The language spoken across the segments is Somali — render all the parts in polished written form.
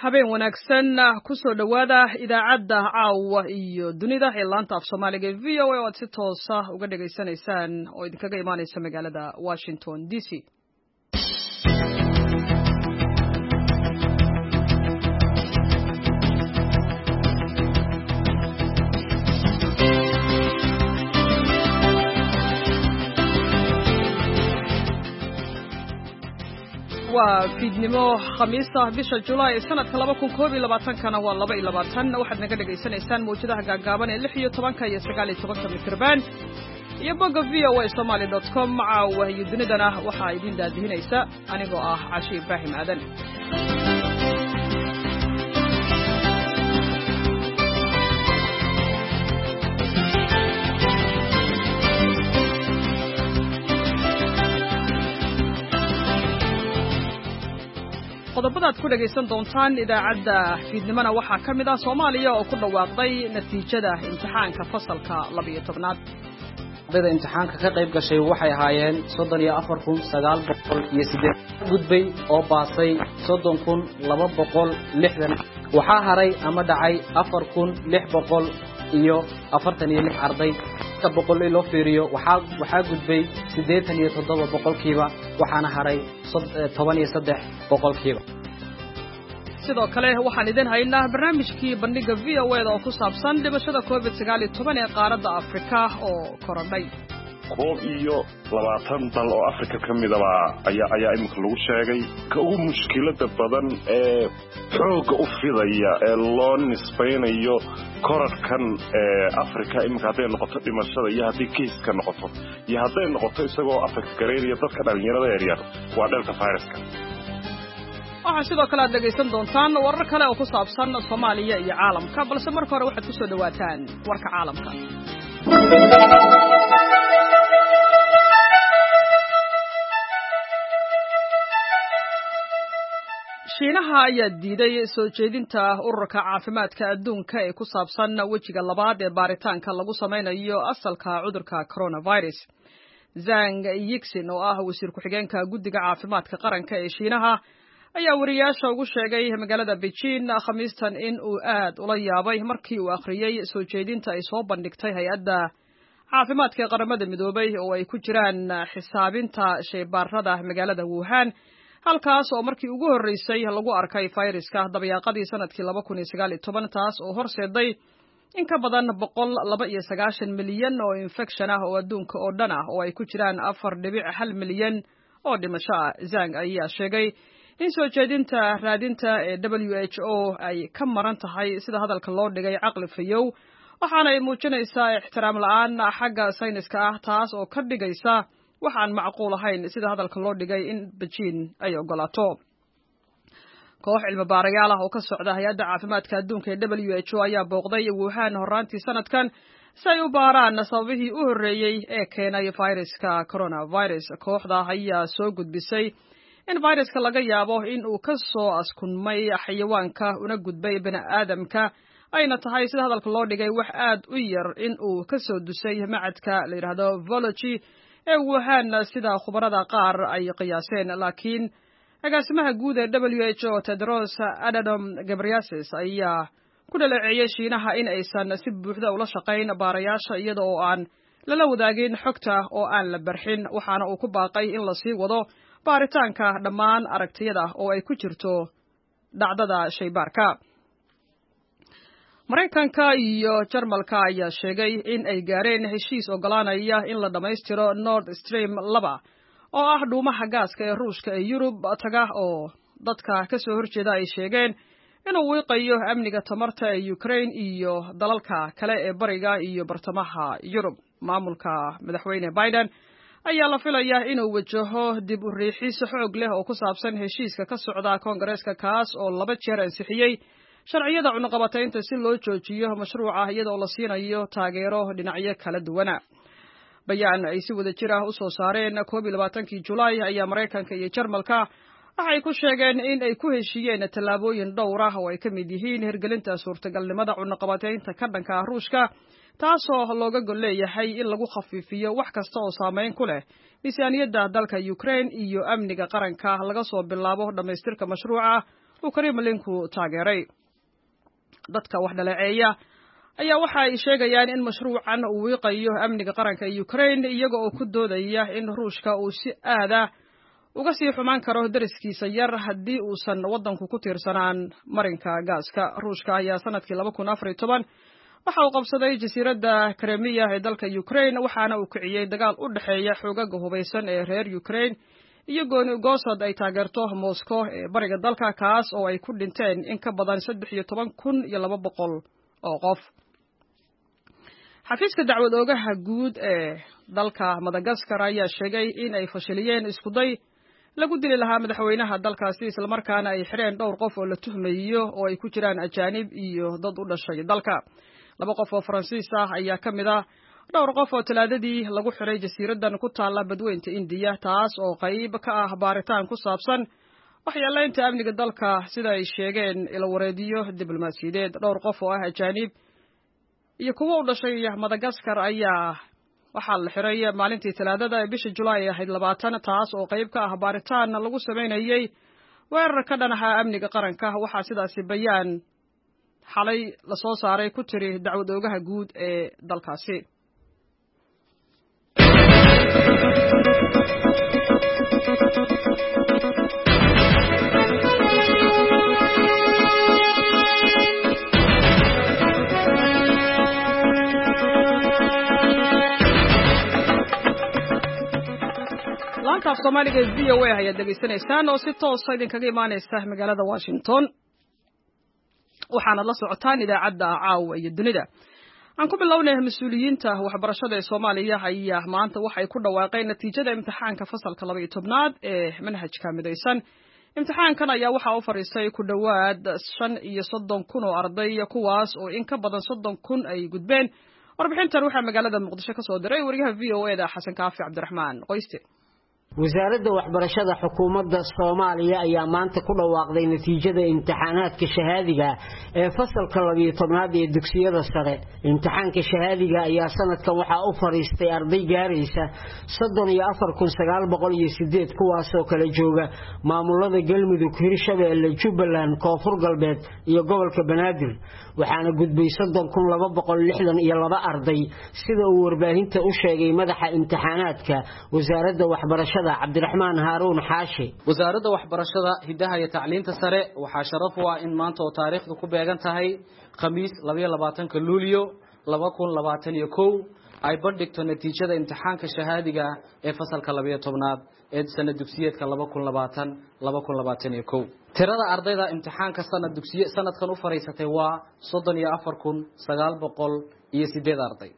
Habeen wanaagsan, kusoo dhowaada idaacadda Caawa iyo Dunida ee laanta af Soomaaliga ee VOA, oo aad si toosa uga dhegaysanaysaan oo idinkaga imaanaysa magaalada Washington DC. Waa fiidnimo Khamiisa, bisha Julaay sanadka 2021-kana waa 22. Waxaad naga dhegaysanaysaan mawjadaha gaagaaban ee 16-ka iyo 19-ka mitirban iyo bogga voasomali.com. Caawa iyo Dunidana waxaa idin daadihinaysa anigoo ah Cashi Ibraahim Aadan. Qodobadaad ku dhegaysan doontaan idaacadda fiidnimona waxaa ka mid ah Soomaaliya oo ku dhawaaqday natiijada imtixaanka fasalka 12-aad. Ardayda imtixaanka ka qayb gashay waxay ahaayeen 34,908, gudbay oo baasay 30,260. Waxaa haray ama dhacay 4,646 arday. Ka boqol loo fiiriyo, waxaa gudbay 87%, waxaana haray 13%. Sidoo kale waxaan idin haynaa barnaamijkii bandhigga VOA da oo ku saabsan dhimashada COVID-19 ee qaaradda Afrika oo korodhay. 21 dal oo Afrika ka midaba ayaa iminka lagu sheegay. Ka ugu mushkilada badan ee xoogga u fidaya ee loo nisbaynayo koradhkan ee Afrika iminka, hadday noqoto dhimashada iyo haddii keiska noqoto iyo hadday noqoto isagoo Afrika gareynaya dadka dhallinyarada yaryar, waa Delta viruska. Waxaa sidoo kale aad dhegaysan doontaan warar kale oo ku saabsan Soomaaliya iyo caalamka, balse marka hore waxaad ku soo dhowaataan warka caalamka. Shiinaha ayaa diiday soo jeedinta Ururka Caafimaadka Adduunka ee ku saabsan wejiga labaad ee baaritaanka lagu samaynayo asalka cudurka coronavirus. Zang Yixin, oo ah wasiir ku-xigeenka guddiga caafimaadka qaranka ee Shiinaha, ayaa wariyaasha ugu sheegay magaalada Beijing Khamiistan in uu aad ula yaabay markii uu akhriyey soo jeedinta ay soo bandhigtay Hay-adda Caafimaadka ee Qaramada Midoobay, oo ay ku jiraan xisaabinta shaybaarada magaalada Wuhan, halkaas oo markii ugu horreysay lagu arkay fayraska dabayaaqadii sanadkii 2019, taas oo horseeday in ka badan 192 milyan oo infection ah oo adduunka oo dhan ah, oo ay ku jiraan 4.1 milyan oo dhimasho ah. Zang ayaa sheegay in soo jeedinta raadinta ee WHO ay ka maran tahay, sida hadalka loo dhigay, caqli fayow, waxaana ay muujinaysaa ixtiraam la'aan xagga sayniska ah, taas oo ka dhigaysa wax aan macquul ahayn, sida hadalka loo dhigay, in Beijing ay ogolaato. Koox cilmi baarayaal ah oo ka socda Hay-adda Caafimaadka Adduunka ee WHO ayaa booqday Wuhan horraantii sanadkan si ay u baaraan sababihii u horreeyey ee keenay fayraska coronavirus. Kooxda ayaa soo gudbisay in fayraska laga yaabo in uu ka soo askunmay xayawaanka una gudbay bini'aadamka, ayna tahay, sida hadalka loo dhigay, wax aad u yar in uu ka soo dusay macadka la yidhaahdo virology ee Wuhan, sida khubarada qaar ay qiyaaseen. Laakiin agaasimaha guud ee WHO, Tedros Adhanom Ghebreyesus, ayaa ku dhaleeceeyey Shiinaha in aysan si buuxda ula shaqayn baarayaasha, iyada oo aan lala wadaagin xogta oo aan la barxin, waxaana uu ku baaqay in lasii wado baaritaanka dhammaan aragtiyada, oo ay ku jirto dhacdada shaybaarka. Maraykanka iyo Jarmalka ayaa sheegay in ay gaareen heshiis ogolaanaya in la dhammaystiro Nord Stream 2, oo ah dhuumaha gaaska ee Ruushka ee Yurub taga, oo dadka ka soo horjeeda ay sheegeen inuu wiiqayo amniga tamarta ee Ukraine iyo dalalka kale ee bariga iyo bartamaha Yurub. Maamulka Madaxweyne Biden ayaa la filayaa inuu wajaho dib u riixis xoog leh oo ku saabsan heshiiska ka socda Koongareeska, kaas oo laba jeer ansixiyey sharciyada cunuqabataynta si loo joojiyo mashruuca, iyadoo la siinayo taageero dhinacyo kala duwana. Bayaan ay si wada jir ah u soo saareen 21-kii Julaay ayaa Maraykanka iyo Jarmalka waxay ku sheegeen in ay ku heshiiyeen tallaabooyin dhowr ah, oo ay ka mid yihiin hirgelinta suurtagalnimada cunuqabataynta ka dhanka ah Ruushka, taasoo looga gol leeyahay in lagu khafiifiyo wax kasta oo saameyn ku leh miisaaniyadda dalka Ukraine iyo amniga qaranka, laga soo bilaabo dhammaystirka mashruuca uu Kremlinku taageeray. Dadka wax dhaleeceeya ayaa waxa ay sheegayaan in mashruucan uu wiiqayo amniga qaranka ee Ukraine, iyaga oo ku doodaya in Ruushka uu si aada uga sii xumaan karo dariskiisa yar haddii uusan waddanku ku tiirsanaan marinka gaaska. Ruushka ayaa sanadkii 2014 waxa uu qabsaday jasiiradda Kremiya ee dalka Ukraine, waxaana uu kiciyey dagaal u dhexeeya xoogaga hubaysan ee reer Ukraine iyo gooni goosad ay taageerto Moscow ee bariga dalka, kaas oo ay ku dhinteen in ka badan 13,200 oo qof. Xafiiska dacwad oogaha guud ee dalka Madagaskar ayaa sheegay in ay fashiliyeen iskuday lagu dili lahaa madaxweynaha dalkaasi, islamarkaana ay xireen dhowr qof oo la tuhmayo oo ay ku jiraan ajaanib iyo dad u dhashay dalka. 2 qof oo Faransiis ah ayaa ka mid ah dhowr qof oo Talaadadii lagu xiray jasiiraddan ku taalla badweynta Indiya, taas oo qayb ka ah baaritaan ku saabsan waxyeelaynta amniga dalka, sida ay sheegeen ilawareediyo diblomaasiyadeed. Dhowr qof oo ah ajaanib iyo kuwo u dhashay Madagaskar ayaa waxaa la xiray maalintii Talaadada ee bisha Julaay ahayd 20, taas oo qayb ka ah baaritaan lagu sameynayay weerar ka dhan ahaa amniga qaranka. Waxaa sidaasi bayaan xalay lasoo saaray ku tiri dacwad oogaha guud ee dalkaasi. Laanta af Soomaaliga ee VOA ayaad dhegaysanaysaan oo si toosa idinkaga imaanaysa magaalada Washington, waxaanad la socotaan idaacadda Caawa iyo Dunida. Aan ku bilownay, mas-uuliyiinta waxbarashada ee Soomaaliya ayaa maanta waxay ku dhawaaqeen natiijada imtixaanka fasalka 12aad ee manhajka midaysan. Imtixaankan ayaa waxaa u fadhiistay ku dhowaad 35,000 oo arday, kuwaas oo in ka badan 30,000 ay gudbeen. Warbixintan waxaa magaalada Muqdisho ka soo diray wariyaha VOA da Xasan Kaafi Cabdiraxmaan Qoyste. Wasaaradda waxbarashada xukuumadda Soomaaliya ayaa maanta ku dhawaaqday natiijada imtixaanaadka shahaadiga ee fasalka 12aad ee dugsiyada sare. Imtixaanka shahaadiga ayaa sanadkan waxaa u fariistay arday gaaraysa 34,908, kuwaasoo kala jooga maamulada Galmudug, Hirshabeelle, Jubbaland, Koonfur Galbeed iyo gobolka Banaadir, waxaana gudbay 30,262 arday, sida uu warbaahinta u sheegay madaxa imtixaanaadka wasaaradda waxbarashada Cabdiraxmaan Haaruun Xaashi. Wasaaradda waxbarashada, hidaha iyo tacliinta sare waxaa sharaf u ah in maanta oo taariikhdu ku beegan tahay Khamiis 22-ka Luulyo 2021 ay bandhigto natiijada imtixaanka shahaadiga ee fasalka 12aad ee sanad dugsiyeedka 2020 2021. Tirada ardayda imtixaanka sanad dugsiye sanadkan u fariisatay waa 34,908 arday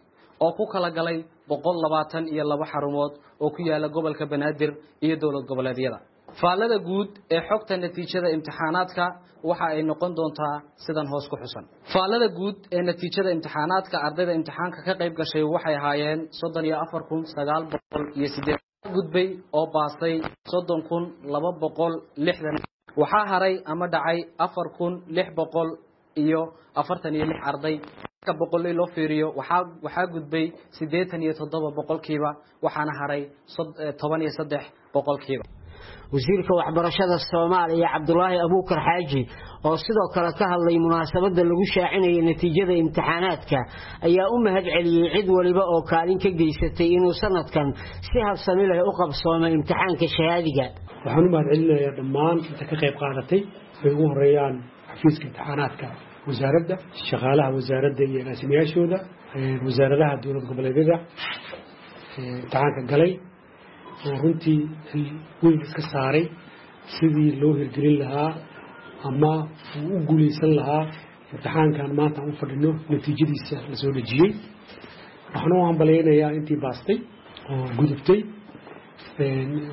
oo ku kala galay 122 xarumood oo ku yaala gobolka Banaadir iyo dowlad goboleedyada. Faallada guud ee xogta natiijada imtixaanaadka waxa ay noqon doontaa sidan hoos ku xusan. Faallada guud ee natiijada imtixaanaadka, ardayda imtixaanka ka qayb gashay waxay ahaayeen 34,908, gudbay oo baasay 30,260, waxaa haray ama dhacay 4,646 arday. Boqol loo fiiriyo waxaa gudbay 87%, waxaana haray 13%. Wasiirka waxbarashada Soomaaliya Cabdulaahi Abuukar Xaaji oo sidoo kale ka hadlay munaasabadda lagu shaacinayay natiijada imtixaanaadka ayaa u mahad celiyey cid waliba oo kaalin ka geysatay inuu sanadkan si habsami leh u qabsoomay imtixaanka shahaadiga. Waxaan u mahad celinayaa dhammaan inta ka qayb qaadatay, ay ugu horeeyaan xafiiska imtixaanaadka wasaaradda, shaqaalaha wasaaradda iyo agaasimayaashooda, wasaaradaha dowlad goboleedyada imtixaanka galay oo runtii xil weyn iska saaray sidii loo hirgelin lahaa ama uu u guulaysan lahaa imtixaankan maanta aan u fadhino natiijadiisa la soo dhejiyey. Waxaan u hambalyaynayaa intii baastay oo gudubtay.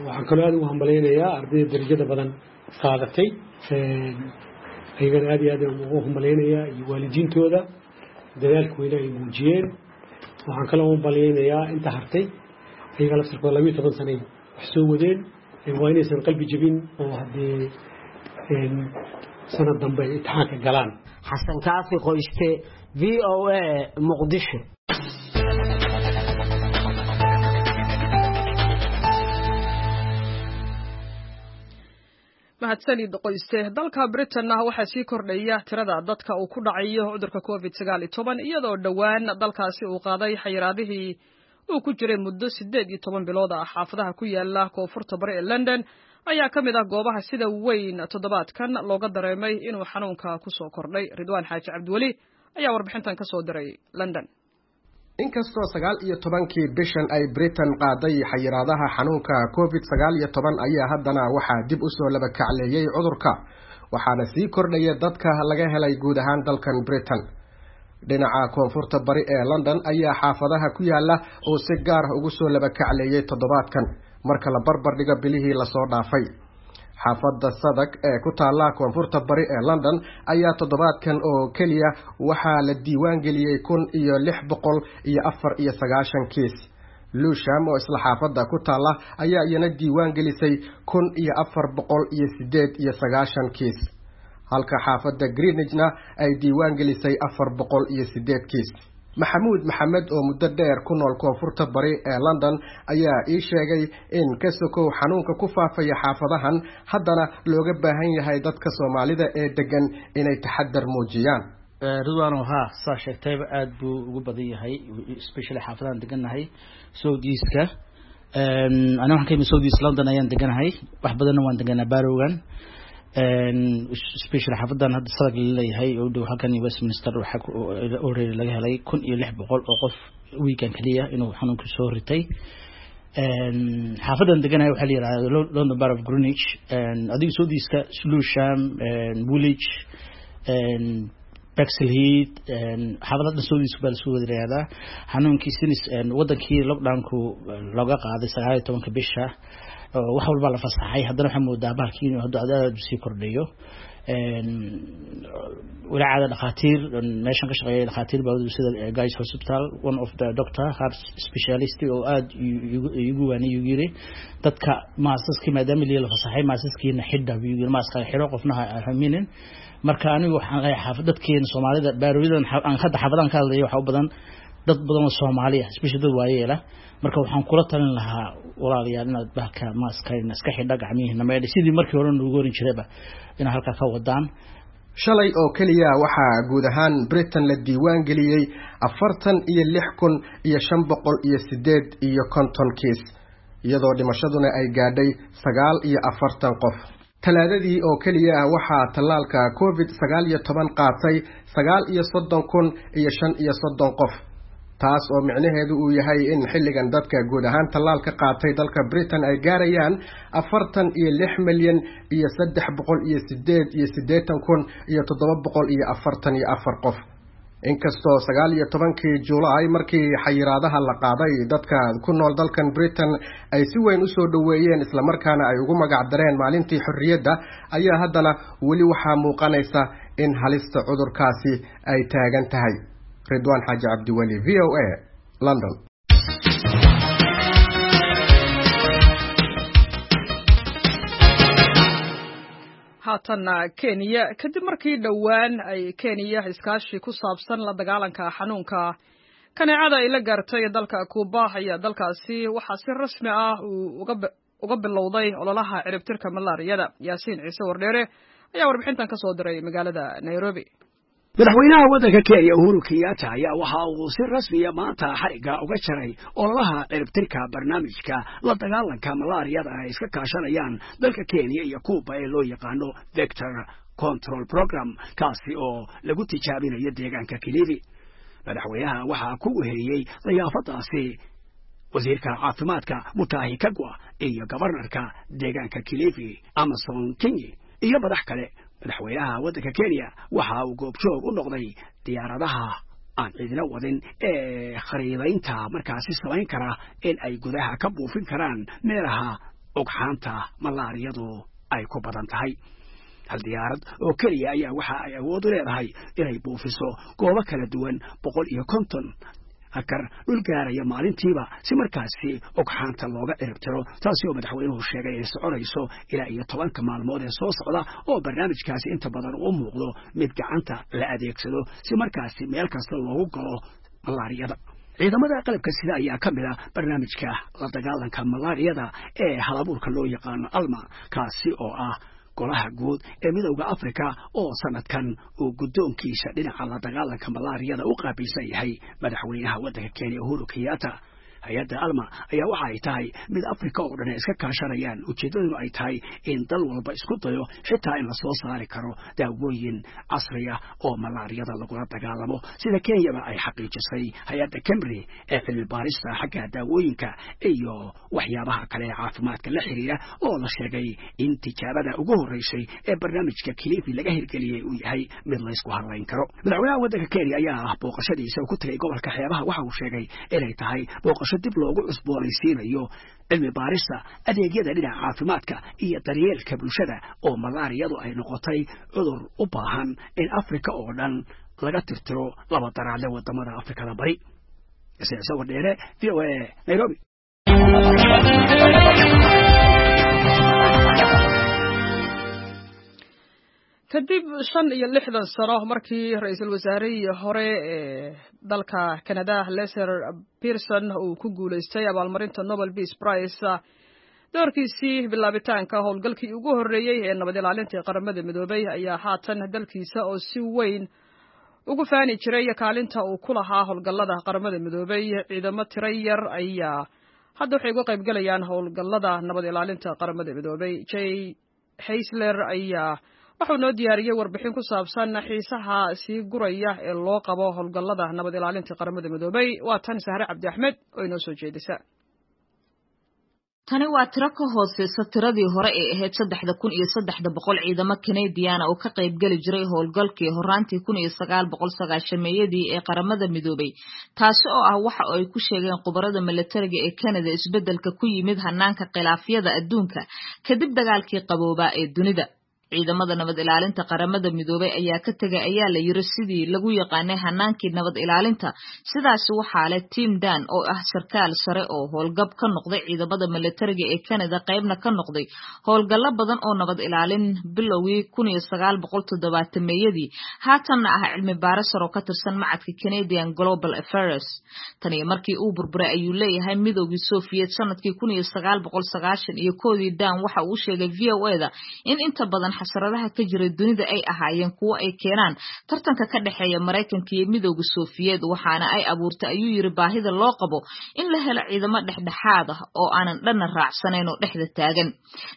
Waxaan kaloo aad ugu hambalyaynayaa ardayda darajada badan qaadatay, ayagana aad iyo aad aan ugu hambalyaynayaa, iyo waalidiintooda dadaalka weyne ay muujiyeen. Waxaan kaloo u hambalyaynayaa inta hartay, ayaga laftirkooda 12 sanay wax soo wadeen, waa inaysan qalbi jebin oo haddee sanad dambe ay imtixaanka galaan. Xasan Kaafi Qoyste, VOA, Muqdisho. Mahadsanid Qoyste. Dalka Britain waxaa sii kordhaya tirada dadka uu ku dhacayo cudurka COVID-19, iyadoo dhowaan dalkaasi uu qaaday xayiraadihii uu ku jiray muddo 18 bilood ah. Xaafadaha ku yaala koonfurta bari ee London ayaa ka mid ah goobaha sida weyn toddobaadkan looga dareemay inuu xanuunka ku soo kordhay. Ridwaan Xaaji Cabdiweli ayaa warbixintan ka soo diray London. Inkastoo 19-kii bishan ay Britain qaaday xayiraadaha xanuunka COVID-19, ayaa haddana waxaa dib usoo labakacleeyey cudurka, waxaana sii kordhaya dadka laga helay guud ahaan dalkan Britain. Dhinaca koonfurta bari ee London ayaa xaafadaha ku yaala oo si gaar ah ugu soo labakacleeyey toddobaadkan marka la barbar dhigo bilihii lasoo dhaafay. Xaafadda Sadag ee ku taalla koonfurta bari ee London ayaa toddobaadkan oo keliya waxaa la diiwaan geliyey 1694 kiis. Lusham oo isla xaafadda ku taalla ayaa iyana diiwaan gelisay 1498 kiis, halka xaafadda Greenwichna ay diiwaan gelisay 408 kiis. Maxamuud Maxamed oo muddo dheer ku nool koonfurta bari ee London ayaa ii sheegay in ka sokow xanuunka ku faafaya xaafadahan, haddana looga baahan yahay dadka Soomaalida ee degan inay taxadar muujiyaan. Ridwaano, haa, saa sheegtayba, aada buu ugu badan yahay, especially xaafadahan degannahay South Eastka. Ani waxaan ka yimid South East London ayaan deganahay, wax badanna waan deganaa barrowgan, especially xaafadan hadda Sadag laleeyahay oo u dhow halkan Westminster. Waxaa already laga helay 1600 oo qof weekan keliya inuu xanuunku soo ritay. Xaafadan deganahay waxaa la yihahda London Borough of Greenwich. Adiga South Eastka, Lewisham, Woolwich, Bexley Heath, xaafada dhan South East baa lasoo wada yihahdaa. Xanuunkii sinis wadankii lockdownku looga qaaday 19-ka bisha, wax walbaa la fasaxay, haddana waxaa moodaa bahalkii inuu hadda aad usii kordhayo walaacada. Dhakhaatiir meeshan ka shaqeeya, dhakhaatiir baa sida Guys Hospital, one of the doctor, heart specialist, oo aada igu waanay, igu yiri dadka maasaskii maadaama liya la fasaxay, maasaskiina xidha buu yiri, maaska xidho, qofna ha haminin. Marka anigu waxaan leeyahay xaafad dadkeena Soomaalida barrowyadan aan hadda xaafadan ka hadlayo waxaa u badan dad badan oo Soomaali ah, especially dad waayeela. Marka waxaan kula talin lahaa, walaalayaal, inaad bahalka maaska iska xidha, gacmihiina maydha, sidii markii hore noogu oran jirayba inaad halkaa ka wadaan. Shalay oo keliya waxaa guud ahaan Britain la diiwaan geliyey 46,558 kiis, iyadoo dhimashaduna ay gaadhay 49 qof. Talaadadii oo keliya waxaa tallaalka COVID-19 qaatay 39,035 qof, taas oo micnaheedu uu yahay in xilligan dadka guud ahaan tallaalka qaatay dalka Britain ay gaarayaan 46,388,744 qof. Inkastoo 19-kii Julaay markii xayiraadaha la qaaday dadka ku nool dalkan Britain ay si weyn usoo dhoweeyeen, islamarkaana ay ugu magac dareen maalintii xorriyadda, ayaa haddana weli waxaa muuqanaysa in halista cudurkaasi ay taagan tahay. Ridwaan Xaaji Cabdiweli, VOA, London. Haatanna Kenya. Kadib markii dhowaan ay Kenya iskaashi ku saabsan la dagaalanka xanuunka kaneecada ay la gaartay dalka Kuuba, ayaa dalkaasi waxaa si rasmi ah uu uga bilowday ololaha ciribtirka malaariyada. Yaasiin Ciise Wardheere ayaa warbixintan ka soo diray magaalada Nairobi. Madaxweynaha waddanka Kenya Uhuru Kenyatta ayaa waxa uu si rasmiya maanta xarigga uga jaray ololaha ciribtirka barnaamijka la dagaalanka malaariyada ay iska kaashanayaan dalka Kenya iyo Kuuba ee loo yaqaano Vector Control Program, kaasi oo lagu tijaabinayo deegaanka Kilifi. Madaxweynaha waxaa ku weheliyey diyaafadaasi wasiirka caafimaadka Mutahi Kagwa iyo gobarnarka deegaanka Kilifi Amason Kingi iyo madax kale. Madaxweynaha waddanka Kenya waxa uu goobjoog u noqday diyaaradaha aan cidina wadin ee khariidaynta markaasi samayn kara in ay gudaha ka buufin karaan meelaha ugxaanta malaariyadu ay ku badan tahay. Hal diyaarad oo keliya ayaa waxa ay awood u leedahay inay buufiso goobo kala duwan, 150 akar dhul gaaraya maalintiiba, si markaasi ogxaanta looga ciribtiro, taasi oo madaxweynuhu sheegay inay soconayso ilaa iyo 10-ka maalmood ee soo socda, oo barnaamijkaasi inta badan uu muuqdo mid gacanta la adeegsado si markaasi meel kasta loogu galo malaariyada. Ciidamada qalabka sida ayaa ka mid a barnaamijka la dagaalanka malaariyada ee halabuurka loo yaqaano Alma, kaasi oo ah Golaha guud ee Midowda Afrika oo sanadkan uu guddoonkiisa dhinaca la dagaalanka malaariyada u qaabilsan yahay madaxweynaha waddanka Kenya Uhuru Kenyatta. Hay-adda Alma ayaa waxa ay tahay mid Afrika oo dhan ay iska kaashanayaan, ujeeddaduna ay tahay in dal walba isku dayo xitaa in lasoo saari karo daawooyin casri ah oo malaariyada lagula dagaalamo, sida Kenyaba ay xaqiijisay hay-adda KEMRI ee cilmi baarista xagga daawooyinka iyo waxyaabaha kale ee caafimaadka la xiriira, oo la sheegay in tijaabada ugu horreysay ee barnaamijka Kilifi laga hirgeliyey uu yahay mid laysku hadlayn karo. Madaxweynaha waddanka Kenya ayaa ah booqashadiisa uu ku tegay gobolka xeebaha waxa uu sheegay inay tahay booqasho dib loogu cusboonaysiinayo cilmi baarista adeegyada dhinaca caafimaadka iyo daryeelka bulshada, oo malaariyadu ay noqotay cudur u baahan in Afrika oo dhan laga tirtiro laba daraadle wadamada Afrikada Bari. Sawir Dheere, VOA, Nairobi. Kadib 65 sano markii ra-iisul wasaarihii hore ee dalka Canada Lester Pearson uu ku guulaystay abaalmarinta Nobel Peace Prize doorkiisii bilaabitaanka howlgalkii ugu horreeyey ee nabad ilaalintii Qaramada Midoobay, ayaa haatan dalkiisa oo si weyn ugu faani jiray kaalinta uu ku lahaa howlgallada Qaramada Midoobay, ciidamo tiro yar ayaa hadda waxay uga qaybgalayaan howlgallada nabad ilaalinta Qaramada Midoobay. Jay Haysler ayaa waxuu noo diyaariyey warbixin ku saabsan xiisaha sii guraya ee loo qabo howlgallada nabad ilaalinta Qaramada Midoobay. Waa tan Sahre Cabdi Axmed oo inoo soo jeedisa. Tani waa tiro ka hooseysa tiradii hore ee ahayd 3,300 ciidamo Kanadiyaana oo ka qaybgeli jiray howlgalkii horaantii 1990-meeyadii ee Qaramada Midoobay, taasi oo ah waxa ay ku sheegeen khubarada milatariga ee Canada isbeddelka ku yimid hanaanka khilaafyada adduunka kadib dagaalkii qaboobaa ee dunida. Ciidamada nabad ilaalinta Qaramada Midoobay ayaa ka tegay, ayaa la yiri, sidii lagu yaqaanay hanaankii nabad ilaalinta. Sidaasi waxaa leh Tim Dan oo ah sarkaal sare oo howlgab ka noqday ciidamada milatariga ee Canada, qaybna ka noqday howlgallo badan oo nabad ilaalin bilowgii 1970-meeyadii, haatanna ah cilmi baare sare oo ka tirsan macadka Canadian Global Affairs. Tani markii uu burburay, ayuu leeyahay, Midoogii Soviet sanadkii 1991-dii, Dan waxa uu sheegay VOA-da in inta badan xasaradaha ka jira dunida ay ahaayeen kuwo ay keenaan tartanka ka dhexeeya Maraykanka iyo Midowga Sofiyeed, waxaana ay abuurtay, ayuu yiri, baahida loo qabo in la helo ciidamo dhexdhexaad ah oo aanan dhanna raacsanayn oo dhexda taagan.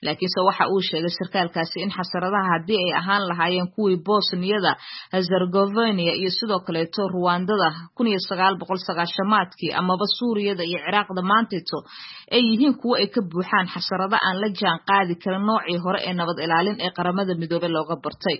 Laakiinse waxa uu sheegay sarkaalkaasi in xasaradaha haddii ay ahaan lahaayeen kuwii Bosniyada, Herzegovina iyo sidoo kaleeto Ruwandada 1990-aadkii amaba Suuriyada iyo Ciraaqda maanteeto ay yihiin kuwo ay ka buuxaan xasarado aan la jaan qaadi karin noocii hore ee nabad ilaalin ee Qaramada Midoobay looga bartay.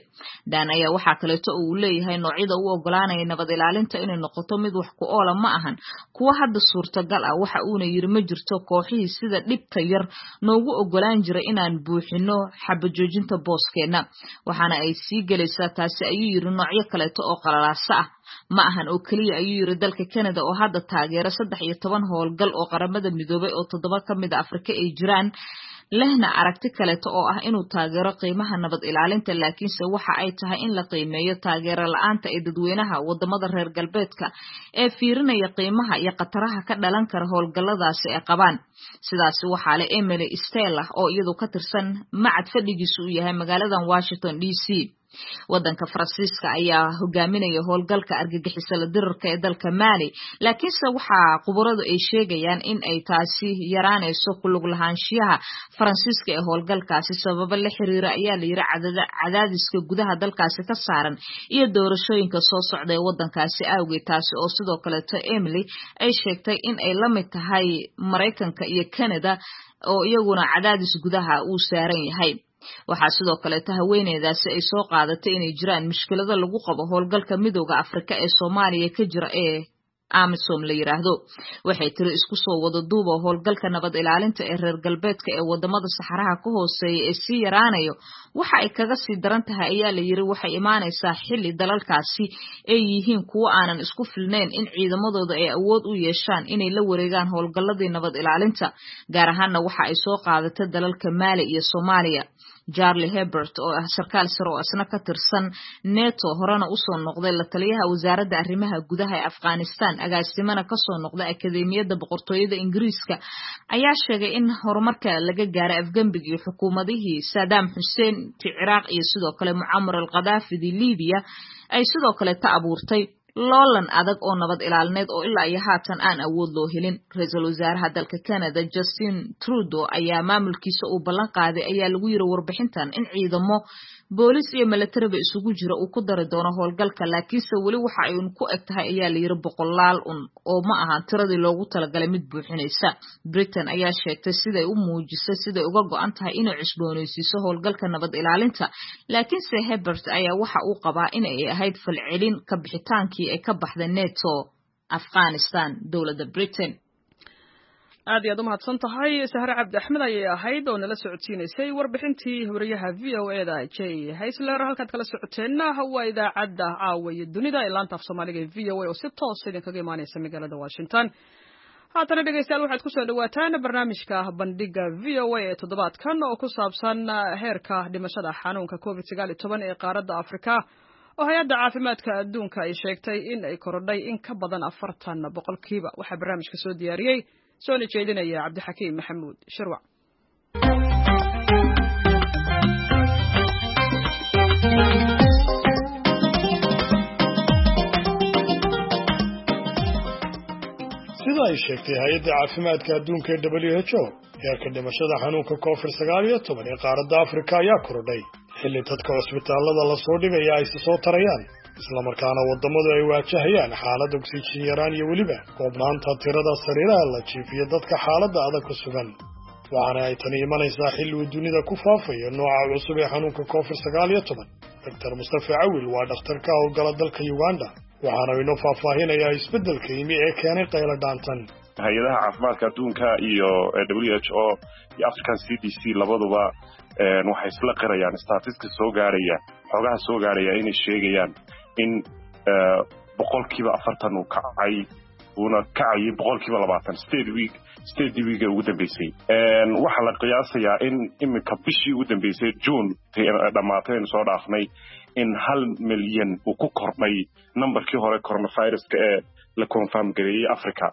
Dan ayaa waxaa kaleeto uu leeyahay noocyada u ogolaanaya nabad ilaalinta inay noqoto mid wax ku oola ma ahan kuwo hadda suurtagal ah. Waxa uuna yiri, ma jirto kooxihii sida dhibta yar noogu ogolaan jiray inaan buuxino xabajoojinta booskeenna, waxaana ay sii gelaysaa taasi, ayuu yiri, noocyo kaleeto oo qalalaasa ah. Ma ahan oo keliya, ayuu yiri, dalka Canada oo hadda taageera 13 howlgal oo Qaramada Midoobay oo 7 ka mid a Afrika ay jiraan, lehna aragti kaleeto oo ah inuu taageero qiimaha nabad ilaalinta, laakiinse waxa ay tahay in la qiimeeyo taageero la-aanta ee dadweynaha wadamada reer galbeedka ee fiirinaya qiimaha iyo khataraha ka dhalan kara howlgalladaasi ay qabaan. Sidaasi waxaa leh Emily Stella oo iyadu ka tirsan macad fadhigiisu uu yahay magaaladan Washington DC. Wadanka Faransiiska ayaa hogaaminaya howlgalka argagixisada dirarka ee dalka Maali, laakiinse waxaa khubaradu ay sheegayaan in ay taasi yaraanayso ku lug lahaanshiyaha Faransiiska ee howlgalkaasi sababo la xiriira, ayaa la yiri, cadaadiska gudaha dalkaasi ka saaran iyo doorashooyinka soo socda ee wadankaasi awgeed, taasi oo sidoo kaleeto Emily ay sheegtay in ay la mid tahay Maraykanka iyo Canada oo iyaguna cadaadis gudaha uu saaran yahay. Waxaa sidoo kaleeto haweeneydaasi ay soo qaadatay inay jiraan mushkilado lagu qabo howlgalka Midowda Afrika ee Soomaaliya ka jira ee AMISOM la yiraahdo. Waxay tiri, isku soo wada duuba, howlgalka nabad ilaalinta ee reer galbeedka ee wadamada saxaraha ka hooseeya ee sii yaraanayo waxa ay kaga sii daran tahay, ayaa la yiri, waxay imaanaysaa xilli dalalkaasi ay yihiin kuwo aanan isku filnayn in ciidamadooda ay awood u yeeshaan inay la wareegaan howlgalladii nabad ilaalinta, gaar ahaanna waxa ay soo qaadatay dalalka Maali iyo Soomaaliya. Charlie Hebert oo ah sarkaal sare oo isna ka tirsan NATO, horena usoo noqday la taliyaha wasaaradda arrimaha gudaha ee Afghanistan, agaasimana kasoo noqday Akadeemiyadda Boqortooyada Ingiriiska, ayaa sheegay in horumarka laga gaaray afgembigii xukuumadihii Saddam Hussein ti Ciraaq iyo sidoo kale Mucamar al Khadaafidii Libiya ay sidoo kale ta abuurtay loolan adag oo nabad ilaalineed oo ilaa iyo haatan aan awood loo helin. Ra-iisul wasaaraha dalka Canada Justin Trudeau ayaa maamulkiisa uu ballan qaaday, ayaa lagu yiri warbixintan, in ciidamo boolis iyo milatariba isugu jira uu ku dari doono howlgalka, laakiinse weli waxa ay un ku eg tahay, ayaa la yiri, boqolaal un oo ma ahan tiradii loogu talagalay mid buuxinaysa. Britain ayaa sheegtay siday u muujisay siday uga go'an tahay inay cusboonaysiiso howlgalka nabad ilaalinta, laakiinse Hebert ayaa waxa uu qabaa in ay ahayd falcelin ka bixitaankii ay ka baxday NATO Afghanistan dowladda Britain. Aad iyo aad u mahadsan tahay, Sahre Cabdi Axmed ayay ahayd oo nala socodsiinaysay warbixintii wariyaha VOA-da J Haysler. Halkaad kala socoteenna waa idaacadda Caawa iyo Dunida ee laanta af Soomaaliga ee VOA oo si toos idinkaga imaanaysa magaalada Washington. Haatana dhegeystayaal, waxaad kusoo dhawaataan barnaamijka Bandhiga VOA ee toddobaadkan oo ku saabsan heerka dhimashada xanuunka COVID-19 ee qaaradda Afrika, oo Hay-adda Caafimaadka Adduunka ay sheegtay in ay korodhay in ka badan 40%. Waxaa barnaamijka soo diyaariyey soona jeedinaya Cabdixakiim Maxamuud Shirwac. Sida ay sheegtay Hay-adda Caafimaadka Adduunka ee WHO, heerka dhimashada xanuunka COVID-19 ee qaaradda Afrika ayaa korodhay xilli dadka cusbitaallada lasoo dhigaya ay si soo tarayaan, islamarkaana waddamadu ay waajahayaan xaalad oksijiin yaraan iyo weliba koobnaanta tirada sariiraha la jiifiyo dadka xaaladda adag ku sugan. Waxaana ay tani imanaysaa xilli uu dunida ku faafayo nooca cusub ee xanuunka COVID-19. Doctor Mustafa Cawil waa dhakhtar ka howlgala dalka Uganda, waxaana inoo faahfaahinayaa isbeddelka yimi ee keenay qaylo dhaantan. Hay-adaha caafimaadka adduunka iyo WHO iyo African CDC labaduba waxay isla qirayaan statistics soo gaaraya, xogaha soo gaaraya inay sheegayaan in 40% uu kacay, uuna kacayay 20% sideedii week ee ugu dambeysay. Waxaa la qiyaasayaa in iminka bishii ugu dambeysay, June dhammaatay aynu soo dhaafnay, in 1 milyan uu ku kordhay numberkii hore coronaviruska ee la confirm gareeyey Africa.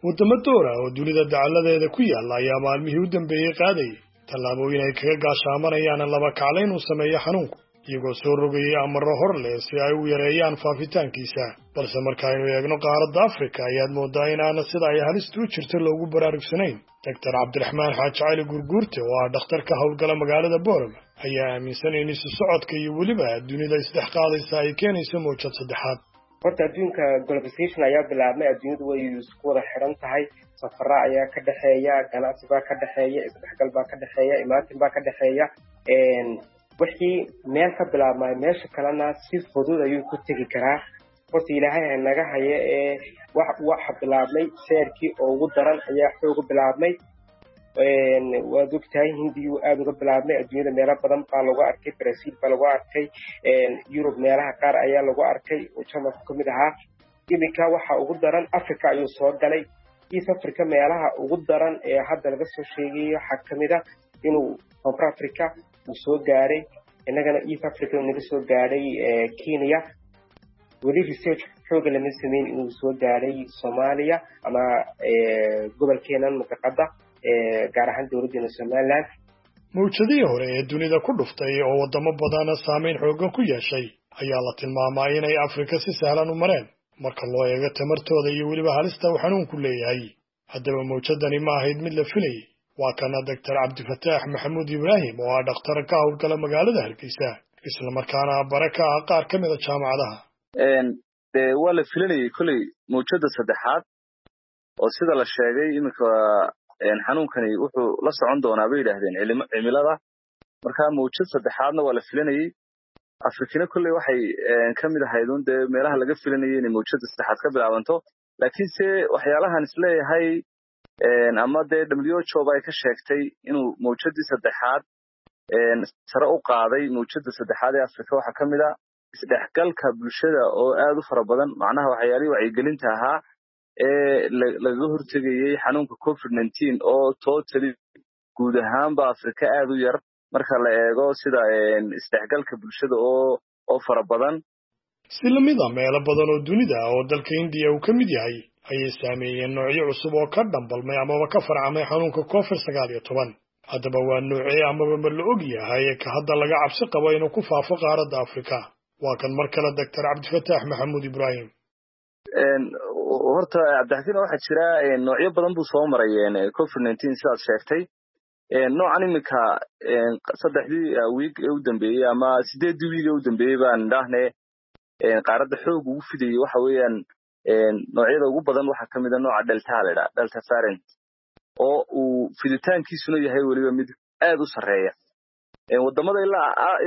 Waddamo door ah oo dunida dacalladeeda ku yaalla ayaa maalmihii u dambeeyey qaadayay tallaabooyin ay kaga gaashaamanayaan laba kaclayn uu sameeyo xanuunku, iyagoo soo rogayay amarro hor leh si ay u yareeyaan faafitaankiisa. Balse markaaynu eegno qaaradda Afrika, ayaad mooddaa in aana sida ay halistu u jirto loogu baraarugsanayn. Doctor Cabdiraxmaan Xaaji Cali Gurguurte oo ah dhakhtar ka howlgala magaalada Boorama ayaa aaminsan in isu socodka iyo weliba dunida isdhex qaadaysa ay keenayso mawjad saddexaad. Horta adduunka globalization ayaa bilaabmay, adduunyadu way isku wada xiran tahay, safara ayaa ka dhexeeya, ganacsi baa ka dhexeeya, isdhexgal baa ka dhexeeya, imaatin baa ka dhexeeya. Wixii meel ka bilaabmay meesha kalena si fudud ayuu ku tegi karaa. Horta Ilaahay ha naga haya ee waxa bilaabmay seerkii oo ugu daran ayaa xooga bilaabmay. Waad ogtahay, Hindiyuu aada uga bilaabmay, adduunyada meelo badan baa lagu arkay, Brazil baa lagu arkay, Yurub meelaha qaar ayaa lagu arkay oo Jarmalku ka mid ahaa. Iminka waxa ugu daran Africa ayuu soo galay. East Africa meelaha ugu daran ee hadda laga soo sheegayo waxaa kamid a inuu Koonfur Africa uu soo gaaray, innagana East Africa uu naga soo gaadhay Kenya. Weli research xooga lama sameyn inuu soo gaadhay Soomaaliya ama gobolkeenan mantaqada, gaar ahaan dowladdeena Somaliland. Mawjadihii hore ee dunida ku dhuftay oo waddamo badan saamayn xooggan ku yeeshay ayaa la tilmaamaa inay Afrika si sahlan u mareen marka loo eego tamartooda iyo weliba halista uu xanuunku leeyahay. Haddaba mawjadani ma ahayd mid la filayay? Waa kana Doctor Cabdifataax Maxamuud Ibraahim oo ah dhakhtar ka howlgala magaalada Hargeysa, islamarkaana bare ka ah qaar ka mid a jaamacadaha. Dee waa la filanayay kolley mawjadda saddexaad, oo sida la sheegay iminka xanuunkani wuxuu la socon doonaa bay yidhaahdeen cimilada. Marka mawjad saddexaadna waa la filanayey. Afrikina kolley waxay ka mid ahayd un dee meelaha laga filanayay inay mawjadda saddexaad ka bilaabanto. Laakiinse waxyaalahan isleeyahay ama dee WHO ba ay ka sheegtay inuu mawjaddii saddexaad sare u qaaday mawjadda saddexaad ee Afrika waxaa ka mid a isdhexgalka bulshada oo aad u fara badan, macnaha waxyaalihii wacyigelinta ahaa ee lagaga hortegayey xanuunka COVID-19 oo totally guud ahaanba Afrika aad u yar. Marka la eego sida isdhexgalka bulshada oo fara badan. Si lamid a meelo badan oo dunida ah oo dalka Hindiya uu ka mid yahay ayay saameeyeen noocyo cusub oo ka dhambalmay amaba ka farcamay xanuunka COVID-19. Haddaba waa noocee amaba ma la og yahay ka hadda laga cabsi qabo inuu ku faafo qaaradda Afrika? Waa kan mar kale Dr. Cabdifataax Maxamuud Ibraahim. Horta Cabdixakiin, waxaa jira noocyo badan buu soo maray COVID-19 sidaad sheegtay. Noocan iminka 3dii wiig ee u dambeeyey ama 8dii wiig ee u dambeeyey baan idhaahne qaaradda xoog ugu fidayey waxa weeyaan noocyada ugu badan waxaa kamid a nooca Delta la idhaha, Delta variant, oo uu fiditaankiisuna yahay weliba mid aad u sarreeya. Wadamada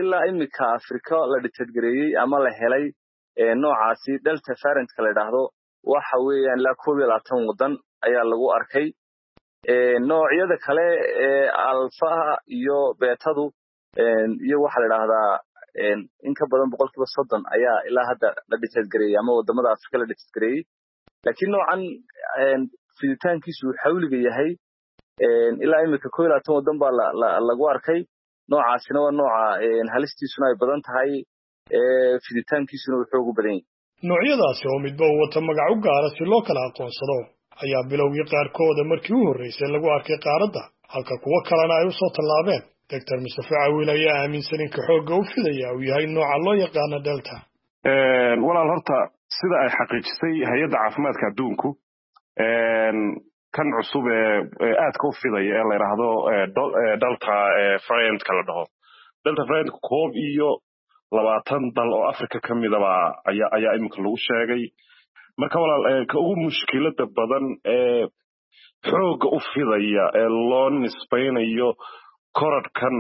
ilaa iminka Afrika la detect gareeyey ama la helay noocaasi Delta variantka la idhaahdo waxa weeyaan ilaa 21 wadan ayaa lagu arkay. Noocyada kale ee Alphaha iyo Betadu iyo waxaa la idhaahdaa in ka badan 30% ayaa ilaa hadda la detect gareeyey ama wadamada Afrika la detect gareeyey. Laakiin noocan fiditaankiisu uu xawliga yahay ilaa iminka 21 wadan baa lagu arkay. Noocaasina waa nooca halistiisuna ay badan tahay, fiditaankiisuna uu xoog u badan yahay. Noocyadaasi oo midba uu wata magac u gaara si loo kala aqoonsado ayaa bilowgii qaarkooda markii u horreysay lagu arkay qaaradda, halka kuwo kalena ay u soo tallaabeen. Dr. Mustafa Cawiil ayaa aaminsan in ka xoogga u fidaya uu yahay nooca loo yaqaano Delta. Walaal, horta sida ay xaqiijisay hay-adda caafimaadka adduunku, kan cusub ee aadka u fidaya ee la yidhaahdo Delta variantka la dhaho, Delta variant, 21 dal oo Africa ka midaba ayaa iminka lagu sheegay. Marka walaal, ka ugu mushkilada badan ee xoogga u fidaya ee loo nisbaynayo korodhkan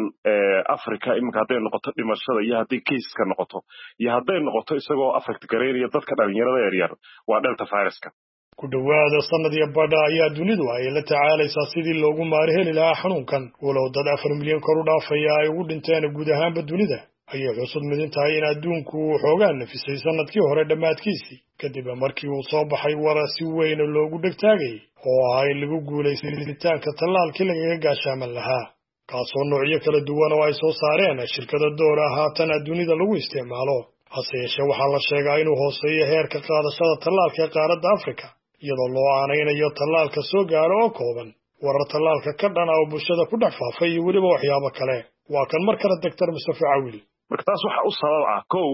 Africa iminka, hadday noqoto dhimashada iyo hadday caseska noqoto iyo hadday noqoto isagoo affect garaynaya dadka dhalinyarada yaryar, waa Delta viruska. Ku dhowaada sanad iyo badha ayaa dunidu ay la tacaalaysaa sidii loogu maari heli lahaa xanuunkan, walow dad 4 milyan kor u dhaafaya ay ugu dhinteen guud ahaanba dunida. Ayay xusud midin tahay in adduunku uu xoogaa nafisay sanadkii hore dhammaadkiisii, kadib markii uu soo baxay wara si weyn loogu dhegtaagayay oo ahaa in lagu guulaystay helitaanka tallaalkii lagaga gaashaaman lahaa, kaasoo noocyo kala duwan oo ay soo saareen shirkada door ah haatan dunida lagu isticmaalo. Hase yeeshee waxaa la sheegaa inuu hooseeyo heerka qaadashada tallaalka ee qaaradda Afrika, iyadoo loo aanaynayo tallaalka soo gaaro oo kooban, warar tallaalka ka dhana oo bulshada ku dhex faafay iyo weliba waxyaabo kale. Waa kan mar kale Dr. Mustafa Cawil. Marka taas waxa u sabab ah, kow,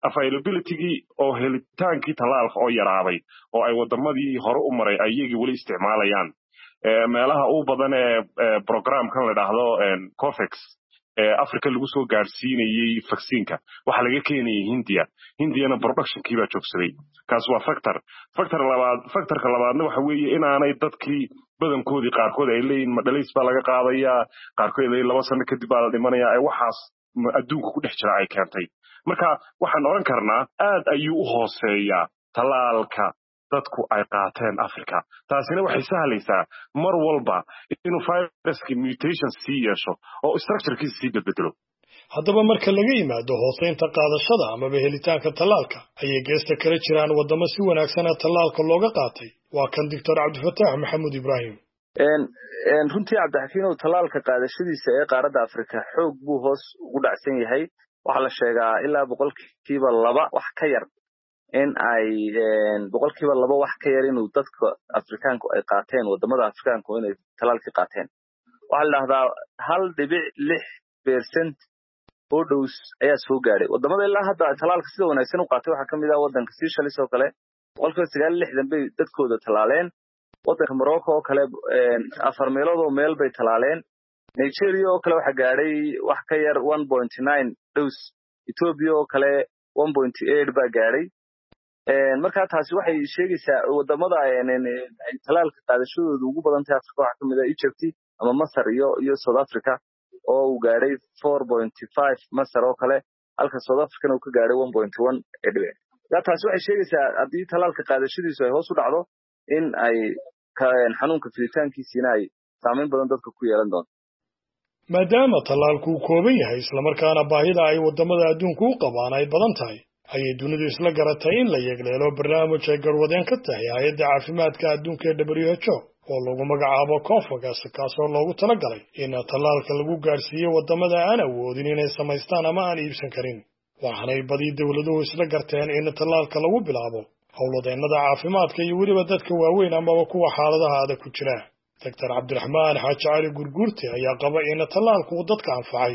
availabilitygii oo helitaankii tallaalka oo yaraaday oo ay wadamadii hore u maray ay iyagii weli isticmaalayaan. Meelaha u badan ee programkan la idhaahdo COVAX ee Africa lagu soo gaadhsiinayey vaccineka waxaa laga keenayay Hindiya. Hindiyana productionkii baa joogsaday. Kaas waa factor. Factor labaad, factorka labaadna waxa weeye inaanay dadkii badankoodii qaarkood ay leeyihin madhalays baa laga qaadayaa, qaarkood ay 2 sano kadib baa la dhimanayaa, ee waxaas adduunka ku dhex jira ay keentay. Marka waxaan odhan karnaa aad ayuu u hooseeyaa tallaalka dadku ay qaateen Africa. Taasina waxay sahlaysaa mar walba inuu viruski mutation sii yeesho oo structurekiisa sii bedbedelo. Haddaba marka laga yimaado hooseynta qaadashada amaba helitaanka tallaalka, ayay geesta kala jiraan waddamo si wanaagsana tallaalka looga qaatay. Waa kan Doctor Cabdifataax Maxamuud Ibraahim. Runtii Cabdixakiinow, tallaalka qaadashadiisa ee qaaradda Afrika xoog buu hoos ugu dhacsan yahay. Waxaa la sheegaa ilaa 2% wax ka yar in ay 2% wax ka yar inuu dadka Afrikaanku ay qaateen, wadamada Afrikaanku inay tallaalkii qaateen. Waxaa la dhahdaa 1.6% oo dose ayaa soo gaadhay. Wadamada ilaa hadda tallaalka sida wanaagsan u qaatay waxaa kamid ah waddanka Seychelles oo kale, 69% bay dadkooda tallaaleen. Waddanka Morocco oo kale afar meelood oo meel bay tallaaleen. Nigeria oo kale waxaa gaadhay wax ka yar 1.9 dose. Ethiopia oo kale 1.8 baa gaadhay. Marka taasi waxay sheegaysaa wadamada ay tallaalka qaadashadooda ugu badan tahay Africa waxaa kamid ah Egypt ama Masar iyo South Africa oo uu gaadhay 4.5 Masar oo kale, halka South Africana uu ka gaadhay 1.1 dhibic. Taasi waxay sheegaysaa haddii tallaalka qaadashadiisu ay hoos u dhacdo in ay xanuunka fiditaankiisiina ay saameyn badan dadka ku yeelan doonto. Maadaama tallaalku uu kooban yahay, islamarkaana baahida ay waddamada adduunku u qabaan ay badan tahay, ayay dunidu isla garatay in la yegleelo barnaamij ay garwadeen ka tahay hay-adda caafimaadka adduunka ee WHO. oo lagu magacaabo Covax, kaasoo loogu talagalay in tallaalka lagu gaadhsiiyo waddamada aan awoodin inay samaystaan ama aan iibsan karin. Waxaanay badi dowladuhu isla garteen in tallaalka lagu bilaabo howlwadeennada caafimaadka iyo weliba dadka waaweyn amaba kuwa xaaladaha adag ku jira. Doctor Cabdiraxmaan Xaaji Cali Gurguurte ayaa qaba in tallaalku uu dadka anfacay.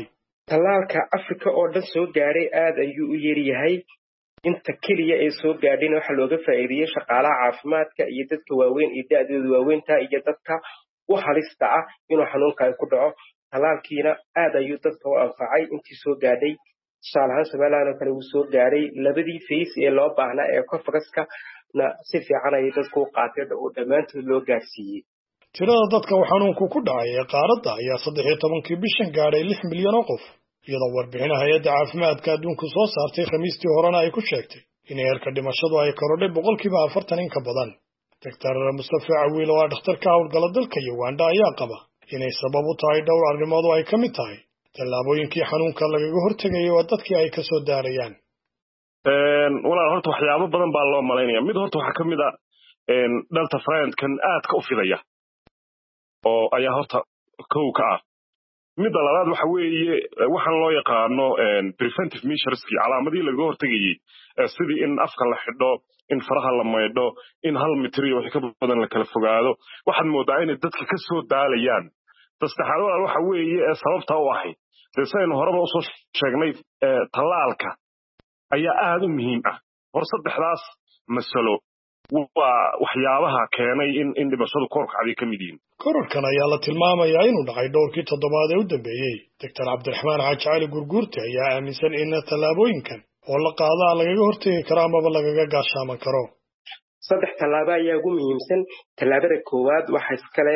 Tallaalka Afrika oo dhan soo gaadhay aad ayuu u yaryahay. Inta keliya ee soo gaadhayna waxaa looga faa'iideeyey shaqaalaha caafimaadka iyo dadka waaweyn iyo da'dooda waaweynta iyo dadka u halista ah inuu xanuunka ay ku dhaco. Tallaalkiina aad ayuu dadka u anfacay intii soo gaadhay. Tusaale ahaan Somaliland oo kale wuu soo gaadhay labadii face ee loo baahnaa ee Covax-na si fiican ayay dadku u qaateen oo dhammaantood loo gaadhsiiyey. Tirada dadka uu xanuunku ku dhacay ee qaaradda ayaa 13-kii bishan gaadhay 6 milyan oo qof, iyadoo warbixin hay'adda caafimaadka adduunku soo saartay Khamiistii horena ay ku sheegtay in heerka dhimashadu ay korodhay 40% in ka badan. Doctor Mustafa Cawiil oo ah dhakhtar ka howlgala dalka Uganda ayaa qaba inay sabab u tahay dhowr arrimood oo ay ka mid tahay tallaabooyinkii xanuunka lagaga hortegayay oo dadkii ay ka soo daarayaan. Walaal, horta waxyaabo badan baa loo malaynaya. Mid horta waxaa ka mid ah Delta variant-kan aadka u fidaya oo ayaa horta kow ka ah. Midda labaad waxa weeye waxaan loo yaqaano preventive measureski, calaamadihii lagaga hortegayey, sidii in afka la xidho, in faraha la maydho, in 1 mitir iyo wixii ka badan la kala fogaado. Waxaad moodaa inay dadka ka soo daalayaan. Ta saddexaad walaal waxa weeye ee sababta u ahayd, dee sidaynu horeba usoo sheegnay, tallaalka ayaa aad u muhiim ah. Hor saddexdaas masalo waa waxyaabaha keenay in dhimashadu korkacday ka mid yihiin. Kororkan ayaa la tilmaamayaa inuu dhacay dhowrkii toddobaad ee u dambeeyey. Doctor Cabdiraxmaan Xaaji Cali Gurguurte ayaa aaminsan in tallaabooyinkan oo la qaadaa lagaga hortegi karo amaba lagaga gaashaaman karo. Saddex tallaabo ayaa ugu muhiimsan. Tallaabada koowaad waxa iskale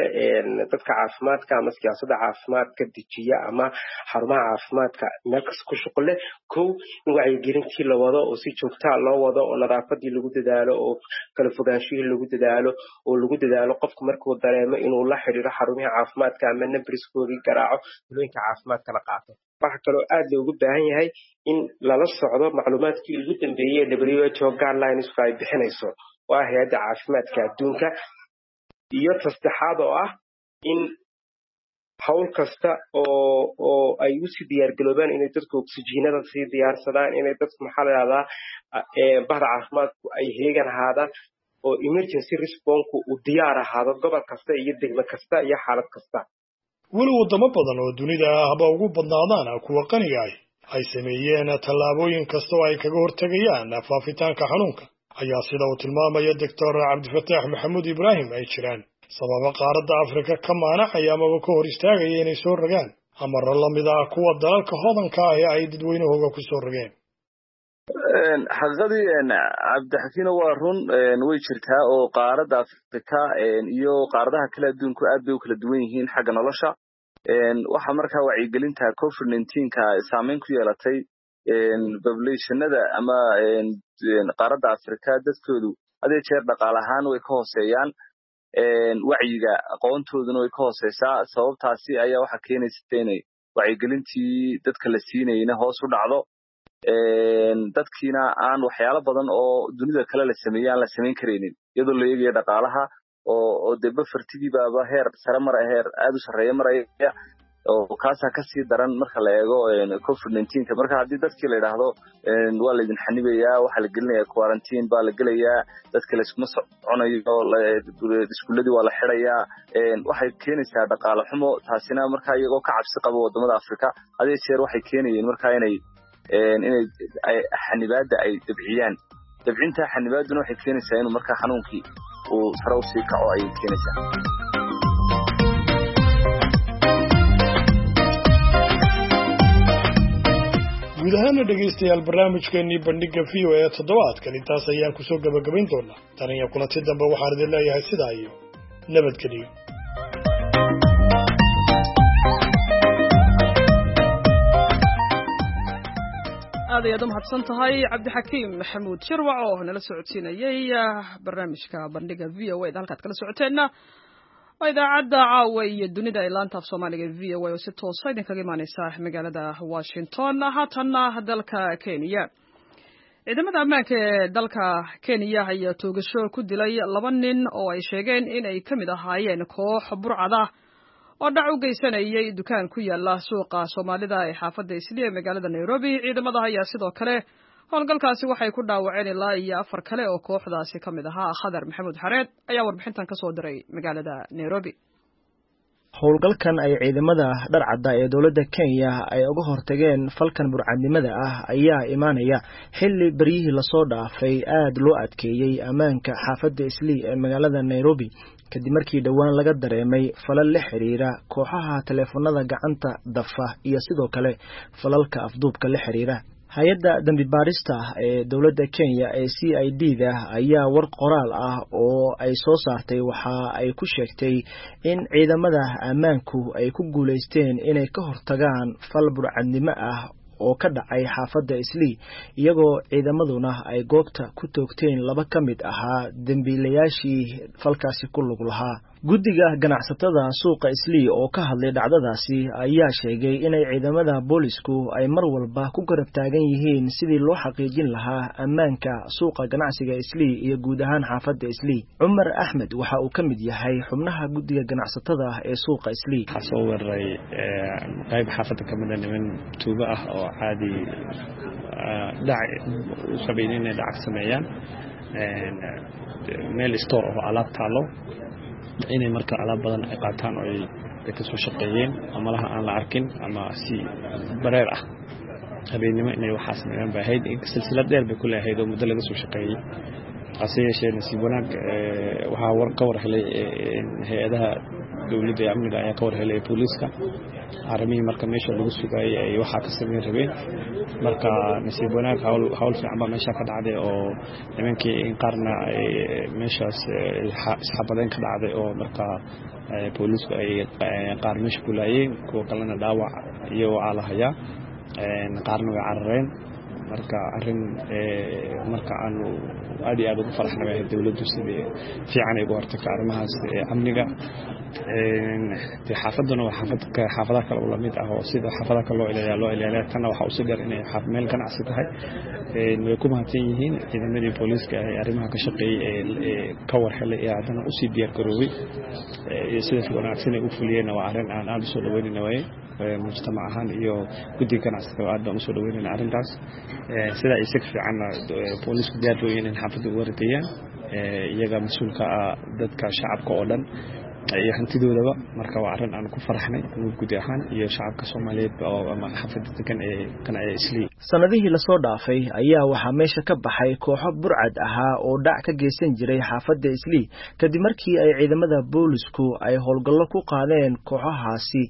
dadka caafimaadka ama siyaasadda caafimaadka dejiya ama xarumaha caafimaadka meel kasta ku shuqul leh. Kow, in wacyigelintii la wado oo si joogtaa loo wado oo nadaafadii lagu dadaalo oo kala fogaanshihii lagu dadaalo oo lagu dadaalo qofku markuu dareemo inuu la xiriiro xarumaha caafimaadka ama nambarskoodii garaaco, talooyinka caafimaadka la qaato. Waxaa kaloo aad loogu baahan yahay in lala socdo macluumaadkii ugu dambeeyey ee WHO guidelines-ku ay bixinayso, waa hay-adda caafimaadka adduunka. Iyo tasaddexaad oo ah in hawl kasta oo ay usii diyaargaloobaan inay dadku oksijiinada sii diyaarsadaan, inay dadku maxaa la yidhahdaa bahda caafimaadku ay heegan ahaadaan oo emergency response-ku uu diyaar ahaado gobol kasta iyo degmo kasta iyo xaalad kasta. Weli waddamo badan oo dunida ahba ugu badnaadaan kuwa qaniga ah ay sameeyeen tallaabooyin kasta oo ay kaga hortegayaan faafitaanka xanuunka, ayaa sida uu tilmaamaya Doctor Cabdifataax Maxamuud Ibraahim ay jiraan sababa qaaradda Afrika ka maanacaya amaba ka hor istaagaya inay soo rogaan amarro la mid ah kuwa dalalka hodanka ah ee ay dadweynahooga ku soo rogeen. Xaqiiqadii Cabdixakiino waa run, way jirtaa oo qaaradda Afrika iyo qaaradaha kale adduunku aad bay u kala duwan yihiin xagga nolosha. Waxaa markaa wacyigelinta COVID-19-ka saameyn ku yeelatay populationada ama qaaradda Afrika dadkoodu had iyo jeer dhaqaale ahaan way ka hooseeyaan, wacyiga aqoontooduna way ka hooseysaa. Sababtaasi ayaa waxaa keenaysa inay wacyigelintii dadka la siinayna hoos u dhacdo, dadkiina aan waxyaalo badan oo dunida kale la sameeyey aan la samayn karaynin, iyadoo la eegayo dhaqaalaha oo dee bafartigii baaba heer sare mara, heer aad u sarreeya maraya, oo kaasaa kasii daran marka la eego COVID-19-ka. Marka haddii dadkii la yidhaahdo waa laydin xanibayaa, waxaa la gelinayaa quarantine baa la gelayaa, dadka layskuma soconayo, iskuuladii waa la xidhayaa, waxay keenaysaa dhaqaale xumo. Taasina marka iyagoo ka cabsi qaba waddamada Afrika had iyo jeer waxay keenayeen marka inay xanibaadda ay dabciyaan. Dabcinta xanibaadduna waxay keenaysaa inuu markaa xanuunkii uu sare usii kaco ayay keenaysaa. Guud ahaana dhegaystayaal, barnaamijkeennii bandhigga VOA toddobaadkan intaas ayaan kusoo gabagabayn doonaa. Tan iyo kulanti dambe waxaan idin leeyahay sidaa iyo nabadgeliyo. Aad ayaad u mahadsan tahay Cabdixakiim Maxamuud Shirwac oo nala socodsiinayey barnaamijka bandhiga VOA da. Halkaad kala socoteenna waa idaacadda caawa iyo dunida ee laanta af Soomaaliga VOA oo si toosa idinkaga imaaneysa magaalada Washington. Haatanna dalka Kenya. Ciidamada ammaanka ee dalka Kenya ayaa toogasho ku dilay 2 nin oo ay sheegeen in ay ka mid ahaayeen koox burcad ah oo dhac u geysanayay dukaan ku yaala suuqa Soomaalida ee xaafadda Islii ee magaalada Nairobi. Ciidamada ayaa sidoo kale howlgalkaasi waxay ku dhaawaceen ilaa iyo 4 kale oo kooxdaasi ka mid ahaa. Khadar Maxamuud Xareed ayaa warbixintan ka soo diray magaalada Nairobi. Howlgalkan ay ciidamada dharcadda ee dowladda Kenya ay uga hortageen falkan burcadnimada ah ayaa imaanaya xilli beryihii lasoo dhaafay aad loo adkeeyey ammaanka xaafadda Islii ee magaalada Nairobi, kadib markii dhowaan laga dareemay falal la xiriira kooxaha taleefanada gacanta dafa iyo sidoo kale falalka afduubka la xiriira. Hay-adda dambi baarista ee dowladda Kenya ee CID-da ayaa war qoraal ah oo ay soo saartay waxa ay ku sheegtay in ciidamada ammaanku ay ku guuleysteen inay ka hortagaan fal burcadnimo ah oo ka dhacay xaafadda Islii, iyagoo ciidamaduna ay goobta ku toogteen 2 ka mid ahaa dembiilayaashii falkaasi ku lug lahaa. Guddiga ganacsatada suuqa Islii oo ka hadlay dhacdadaasi ayaa sheegay inay ciidamada boolisku ay mar walba ku garab taagan yihiin sidii loo xaqiijin lahaa ammaanka suuqa ganacsiga Islii iyo guud ahaan xaafadda Islii. Cumar Axmed waxa uu ka mid yahay xubnaha guddiga ganacsatada ee suuqa Islii. Waxaa soo weeraray qayb xaafadda ka mid ah niman tuugo ah oo caadi dhac u sameeyeen inay dhac sameeyaan meel store oo alaab taalo, inay marka alaab badan ay qaataan oo ay ka soo shaqeeyeen ama laha aan la arkin ama si bareer ah habeenimo inay waxaa sameeyaan bay ahayd. Silsilad dheer bay ku leeahayd oo muddo laga soo shaqeeyey. Hase yeeshee nasiib wanaag waxaa ka war helay hay-adaha dowladda ee amniga ayaa ka war helay booliiska arrimihii marka meesha lagu sugayay ay waxaa ka sameyn rabeen. Marka nasiib wanaag hawl fiican baa meesha ka dhacday oo nimankii in qaarna meeshaas isxabadeen ka dhacday oo marka booliisku ay qaar meesha ku laayeen, kuwa kalena dhaawac iyagoo aa la hayaa, qaarna way carareen. Marka arrin marka aanu aad iyo aad ugu faraxnay bay ahayd dowladdu sidii fiican ay uga hortagto arrimahaas amniga. Dee xaafadduna waa xaafad xaafadaha kale oo lamid ah oo sida xaafadaha kale loo ilaaliyaa loo ilaaliyaa. Tanna waxaa usii dheer inay meel ganacsi tahay. Way ku mahadsan yihiin ciidamadii booliiska ee arrimaha ka shaqeeyey ee ka war helay ee haddana usii diyaar garoobay sida wanaagsan ay u fuliyeenna waa arrin aan aada usoo dhaweynayna waaye mujtamac ahaan iyo guddiga ganacsiga aad baan usoo dhaweynayna arrintaas. Sidaa iyo si ka fiicanna booliisku diyaar buu yihiin in xaafadda uga radeeyaan iyaga mas-uulka ah dadka shacabka oo dhan iyo hantidoodaba. Marka waa arrin aan ku faraxnay guud ahaan iyo shacabka Soomaaliyeed oo ama xaafadda degan ee qanacya Islii. Sanadihii lasoo dhaafay ayaa waxaa meesha ka baxay kooxo burcad ahaa oo dhac ka geysan jiray xaafadda Islii, kadib markii ay ciidamada boolisku ay howlgallo ku qaadeen kooxahaasi.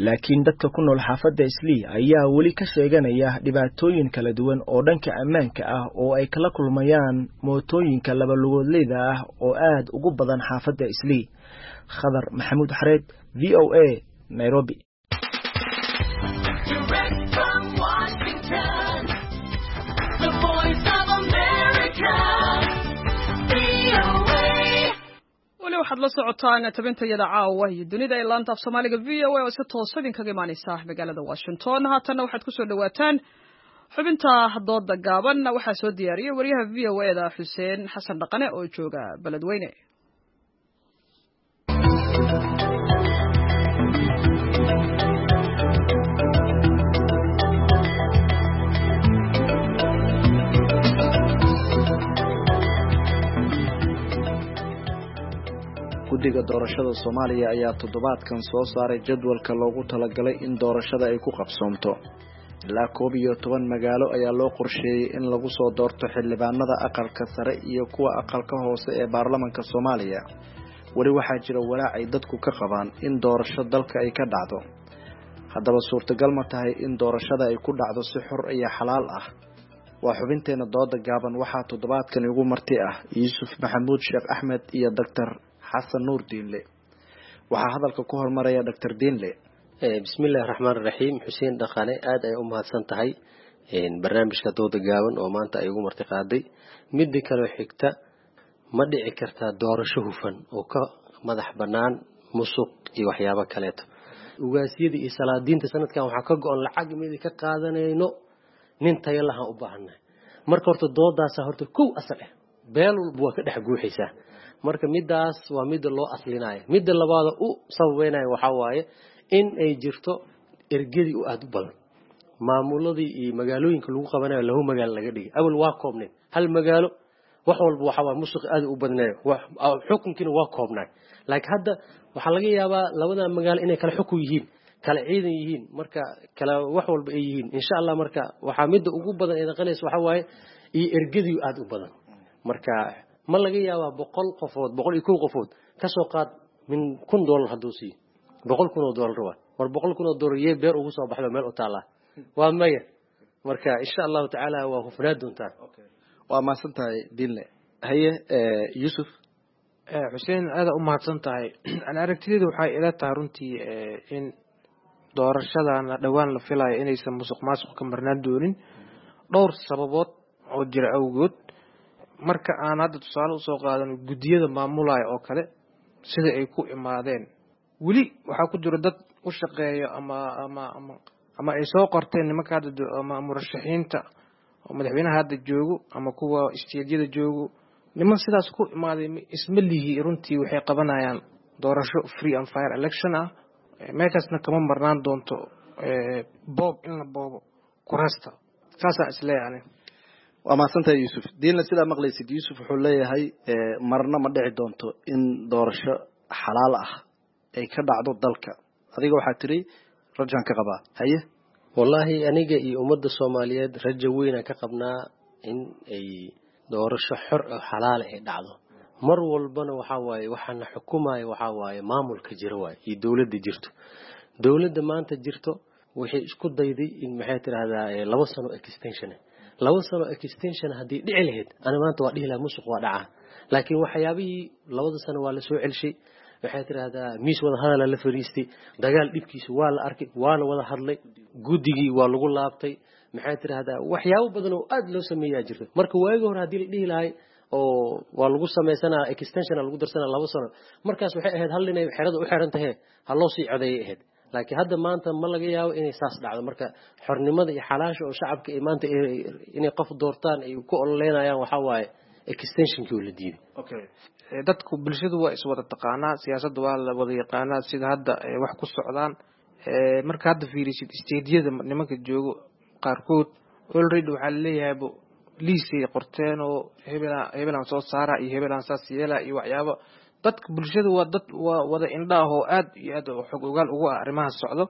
Laakiin dadka ku nool xaafadda Islii ayaa weli ka sheeganaya dhibaatooyin kala duwan oo dhanka ammaanka ah oo ay kala kulmayaan mootooyinka labalugoodleyda ah oo aad ugu badan xaafadda Islii. Khadar Maxamuud Xareed, VOA, Nairobi. Weli waxaad la socotaan tabintayada caawa iyo dunida ee laanta af Soomaaliga VOA oo si toos idinkaga imaaneysa magaalada Washington. Haatanna waxaad kusoo dhawaataan xubinta dooda gaaban. Waxaa soo diyaariyey wariyaha VOA-da Xuseen Xasan Dhaqane oo jooga Beledweyne. Guddiga doorashada Soomaaliya ayaa toddobaadkan soo saaray jadwalka loogu talagalay in doorashada ay ku qabsoomto. Ilaa 11 magaalo ayaa loo qorsheeyay in lagu soo doorto xildhibaanada aqalka sare iyo kuwa aqalka hoose ee baarlamaanka Soomaaliya. Weli waxaa jira walaac ay dadku ka qabaan in doorasho dalka ay ka dhacdo. Haddaba suurtagal ma tahay in doorashada ay ku dhacdo si xor iyo xalaal ah? Waa xubinteena dooda gaaban. Waxaa toddobaadkan igu marti ah Yuusuf Maxamuud Sheekh Axmed iyo Dr. Xasan Nuur Diinle. Waxaa hadalka ku hormaraya Dr. Diinle. Bismillahi raxmaani raxiim. Xuseen Dhaqane, aad ay u mahadsan tahay barnaamijka dooda gaaban oo maanta ay ugu marti qaaday. Midda kaloo xigta, ma dhici kartaa doorasho hufan oo ka madax bannaan musuq iyo waxyaabo kaleeto? Ugaasyada iyo salaadiinta sanadkan waxaa ka go-an lacag midi ka qaadanayno, nin tayo lahaan u baahannahay. Marka horta doodaasa horta kow asal ah, beel walba waa ka dhex guuxaysaa. Marka midaas waa midda loo aslinayo. Midda labaada u sababeynaya waxaa waaye in ay jirto ergadii u aada u badan, maamuladii iyo magaalooyinka lagu qabanayo lahu magaalo laga dhigay. Awal waa koobneed hal magaalo, wax walba waxa waa musuq aad u badnayo, xukunkiina waa koobnaay. Laakiin hadda waxaa laga yaabaa labada magaalo inay kala xukun yihiin, kala ciidan yihiin, marka kala wax walba ay yihiin insha Allah. Marka waxaa midda ugu badan ay noqonaysa waxa waaye iyo ergadii aad u badan. Marka ma laga yaabaa 100 qofood, 101 qofood ka soo qaad min $1000 hadduu siiyo, $100,000 waa war $100,000 yee beer ugu soo baxdo meel u taala waa maya. Marka insha Allahu tacaala waa hufnaa doontaa. Waa mahadsan tahay Diinle. Haye Yuusuf. Xuseen, aada u mahadsan tahay. Ani aragtideedu waxay ila tahay runtii in doorashadan dhowaan la filayo inaysan musuq maasuq ka marnaan doonin dhowr sababood oo jira awgood. Marka aan hadda tusaale usoo qaadano guddiyada maamulaya oo kale, sida ay ku imaadeen, weli waxaa ku jira dad u shaqeeyo ama ama ama ama ay soo qorteen nimanka hadda ama murashaxiinta oo madaxweynaha hadda joogo ama kuwa isteedyada joogo. Niman sidaas ku imaaday isma lihi runtii waxay qabanayaan doorasho free and fair election ah. Meeshaasna kama marnaan doonto boob, in la boobo kuraasta, saasaan isleeyahay. Waa mahadsantahay Yuusuf. Diinle, sidaa maqlaysid, Yuusuf wuxuu leeyahay marna ma dhici doonto in doorasho xalaal ah ay ka dhacdo dalka. Adiga waxaa tiri rajaan ka qabaa. Haye. Wallaahi aniga iyo ummadda Soomaaliyeed rajo weynaan ka qabnaa in ay doorasho xor oo xalaal ay dhacdo. Mar walbana waxaa waaye waxaana xukumaya waxaa waaye maamulka jira waaye iyo dowladda jirto. Dowladda maanta jirto waxay isku dayday in maxay tidhaahdaa 2 sano extension, 2 sano extension haddii dhici lahayd ani maanta waa dhihi lahaa musuq waa dhacaa. Laakiin waxyaabihii 2 sano waa la soo celshay, waxay tidhaahdaa miis wada hadala la fariistay, dagaal dhibkiisa waa la arkay, waa la wada hadlay, guddigii waa lagu laabtay, maxay tidhaahdaa waxyaabo badan oo aada loo sameeyaa jirta. Marka waagi hore haddii la dhihi lahay oo waa lagu sameysanaa extension lagu darsanaa 2 sano, markaas waxay ahayd hal inay xerada u xiran tahay ha loo sii codeeyay ahayd. Laakiin hadda maanta ma laga yaabo inay saas dhacdo. Marka xornimada iyo xalaasha oo shacabka ay maanta inay qof doortaan ay ku ololeynayaan waxaa waaye extensionkii oo la diiday. Okay, dadku bulshadu waa iswada taqaanaa, siyaasadda waa la wada yaqaanaa sida hadda wax ku socdaan. Marka hadda fiirisid isteediyada nimanka joogo qaarkood already waxaa laleeyahay liisay qorteen oo hebelaan soo saara iyo hebelaan saas yeela iyo waxyaabo. Dadka bulshada waa dad waa wada indha ah oo aad iyo aad xog ogaal ugu ah arrimaha socdo.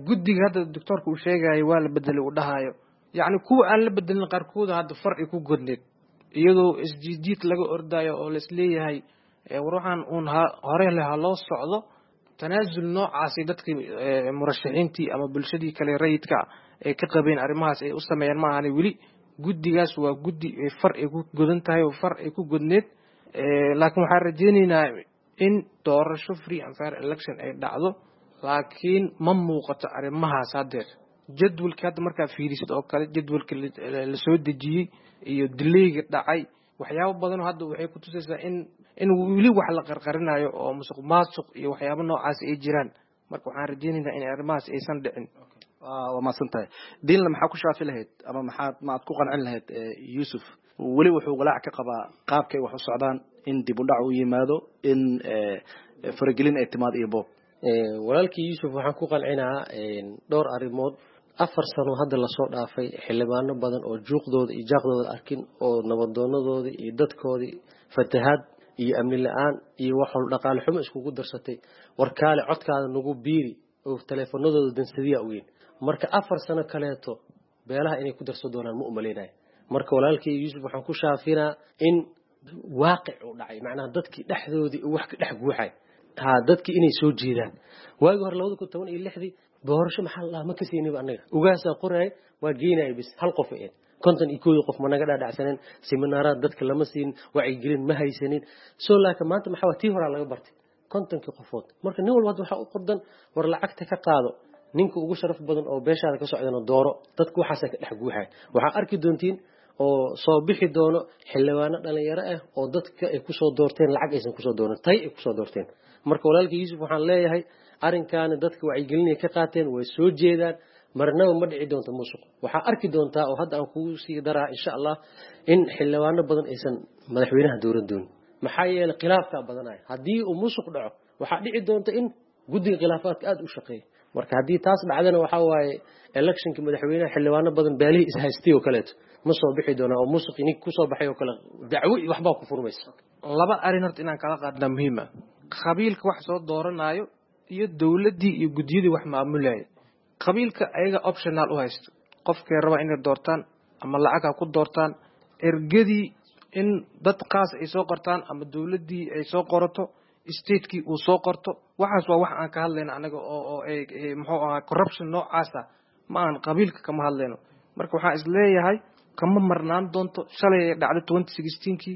Guddiga hadda doctoorka uu sheegayo waa la bedelay uu dhahayo, yacni kuwa aan la bedelin qaarkooda hadda far ay ku godneed iyadoo isjiidjiid laga ordayo oo laisleeyahay war waxaan uun hore leh ha loo socdo. Tanaasul noocaasi dadkii murashaxiintii ama bulshadii kale rayidka ay ka qabeen arrimahaas ay u sameeyaan ma ahani. Weli guddigaas waa guddi far ay ku godan tahay oo far ay ku godneed. Laakiin waxaan rajeyneynaa in doorasho free and fair election ay dhacdo, laakiin ma muuqato arrimahaas haddeer. Jadwalka hadda markaa fiirisid oo kale, jadwalka la soo dejiyey iyo dilayga dhacay, waxyaabo badanoo hadda waxay ku tusaysaa in weli wax la qarqarinayo oo musuq maasuq iyo waxyaabo noocaas ay jiraan. Marka waxaan rajeyneynaa in arrimahaas aysan dhicin. Waa mahadsan tahay Diinle. Maxaa ku shaafi lahayd ama maxaad ma aad ku qancin lahayd Yuusuf? Weli wuxuu walaac ka qabaa qaabkay wax u socdaan, in dib u dhac u yimaado, in faragelin ay timaado iyo boob. Walaalkii Yuusuf waxaan ku qancinaa dhowr arrimood. 4 sano hadda lasoo dhaafay xildhibaano badan oo juuqdooda iyo jaaqdooda arkin oo nabadoonadooda iyo dadkoodii fatahaad iyo amni la-aan iyo wax walba dhaqaale xumo iskugu darsatay, warkaale codkaada nagu biiri oo taleefanadooda dansadiya ogeyn. Marka 4 sano kaleeto beelaha inay ku darsan doonaan ma umaleynayo. Marka walaalkii Yuusuf waxaan ku shaafinaa in waaqic uu dhacay, macnaha dadkii dhexdoodii wax ka dhex guuxay, ha dadkii inay soo jeedaan. Waagii hore 2016 doorasho maxaa la dhahaa ma kasayniba annaga, ugaasaa qoraay waa geynaya bis hal qof ahayd, 51 qof ma naga dhaadhacsanin, seminaaraad dadka lama siin, wacyigelin ma haysanin. Soo laakiin maanta maxaa waa tii horaa laga bartay 50 qofood. Marka nin walba hadda waxaa u qordan war lacagta ka qaado ninka ugu sharaf badan oo beeshaada ka socdana dooro. Dadku waxaasa ka dhex guuxay. Waxaa arki doontiin oo soo bixi doono xildhibaano dhalinyaro ah oo dadka ay kusoo doorteen lacag aysan kusoo dooran, tay ay kusoo doorteen. Marka walaalka Yuusuf waxaan leeyahay arrinkaani dadka wacyigelinay ka qaateen, way soo jeedaan. Marnaba ma dhici doonto musuq. Waxaa arki doontaa oo hadda aan kugu sii daraa insha Allah in xildhibaano badan aysan madaxweynaha dooran doonin, maxaa yeelay khilaafkaa badanaya. Haddii uu musuq dhaco, waxaa dhici doonta in guddiga khilaafaadka aada u shaqeeya. Marka haddii taas dhacdana, waxaa waaye electionka madaxweynaha xildhibaano badan baalihii ishaystay oo kaleeto ma soo bixi doonaa, oo musuqi nink kusoo baxay oo kale dacwo iyo waxbaa ku furmaysa. Laba arrin horta inaan kala qaadnaa muhiima: qabiilka wax soo dooranayo iyo dowladdii iyo guddiyadii wax maamulaya. Qabiilka ayaga optional u haysto, qofkay rabaa inay doortaan ama lacag ha ku doortaan, ergadii in dad qaas ay soo qortaan ama dowladdii ay soo qorato, statekii uu soo qorto. Waxaas waa wax aan ka hadlayno anaga oo ay muxuu ahaa corruption noocaasa ma aan qabiilka kama hadlayno. Marka waxaan isleeyahay kama marnaan doonto. Shalay ay dhacday 2016-kii,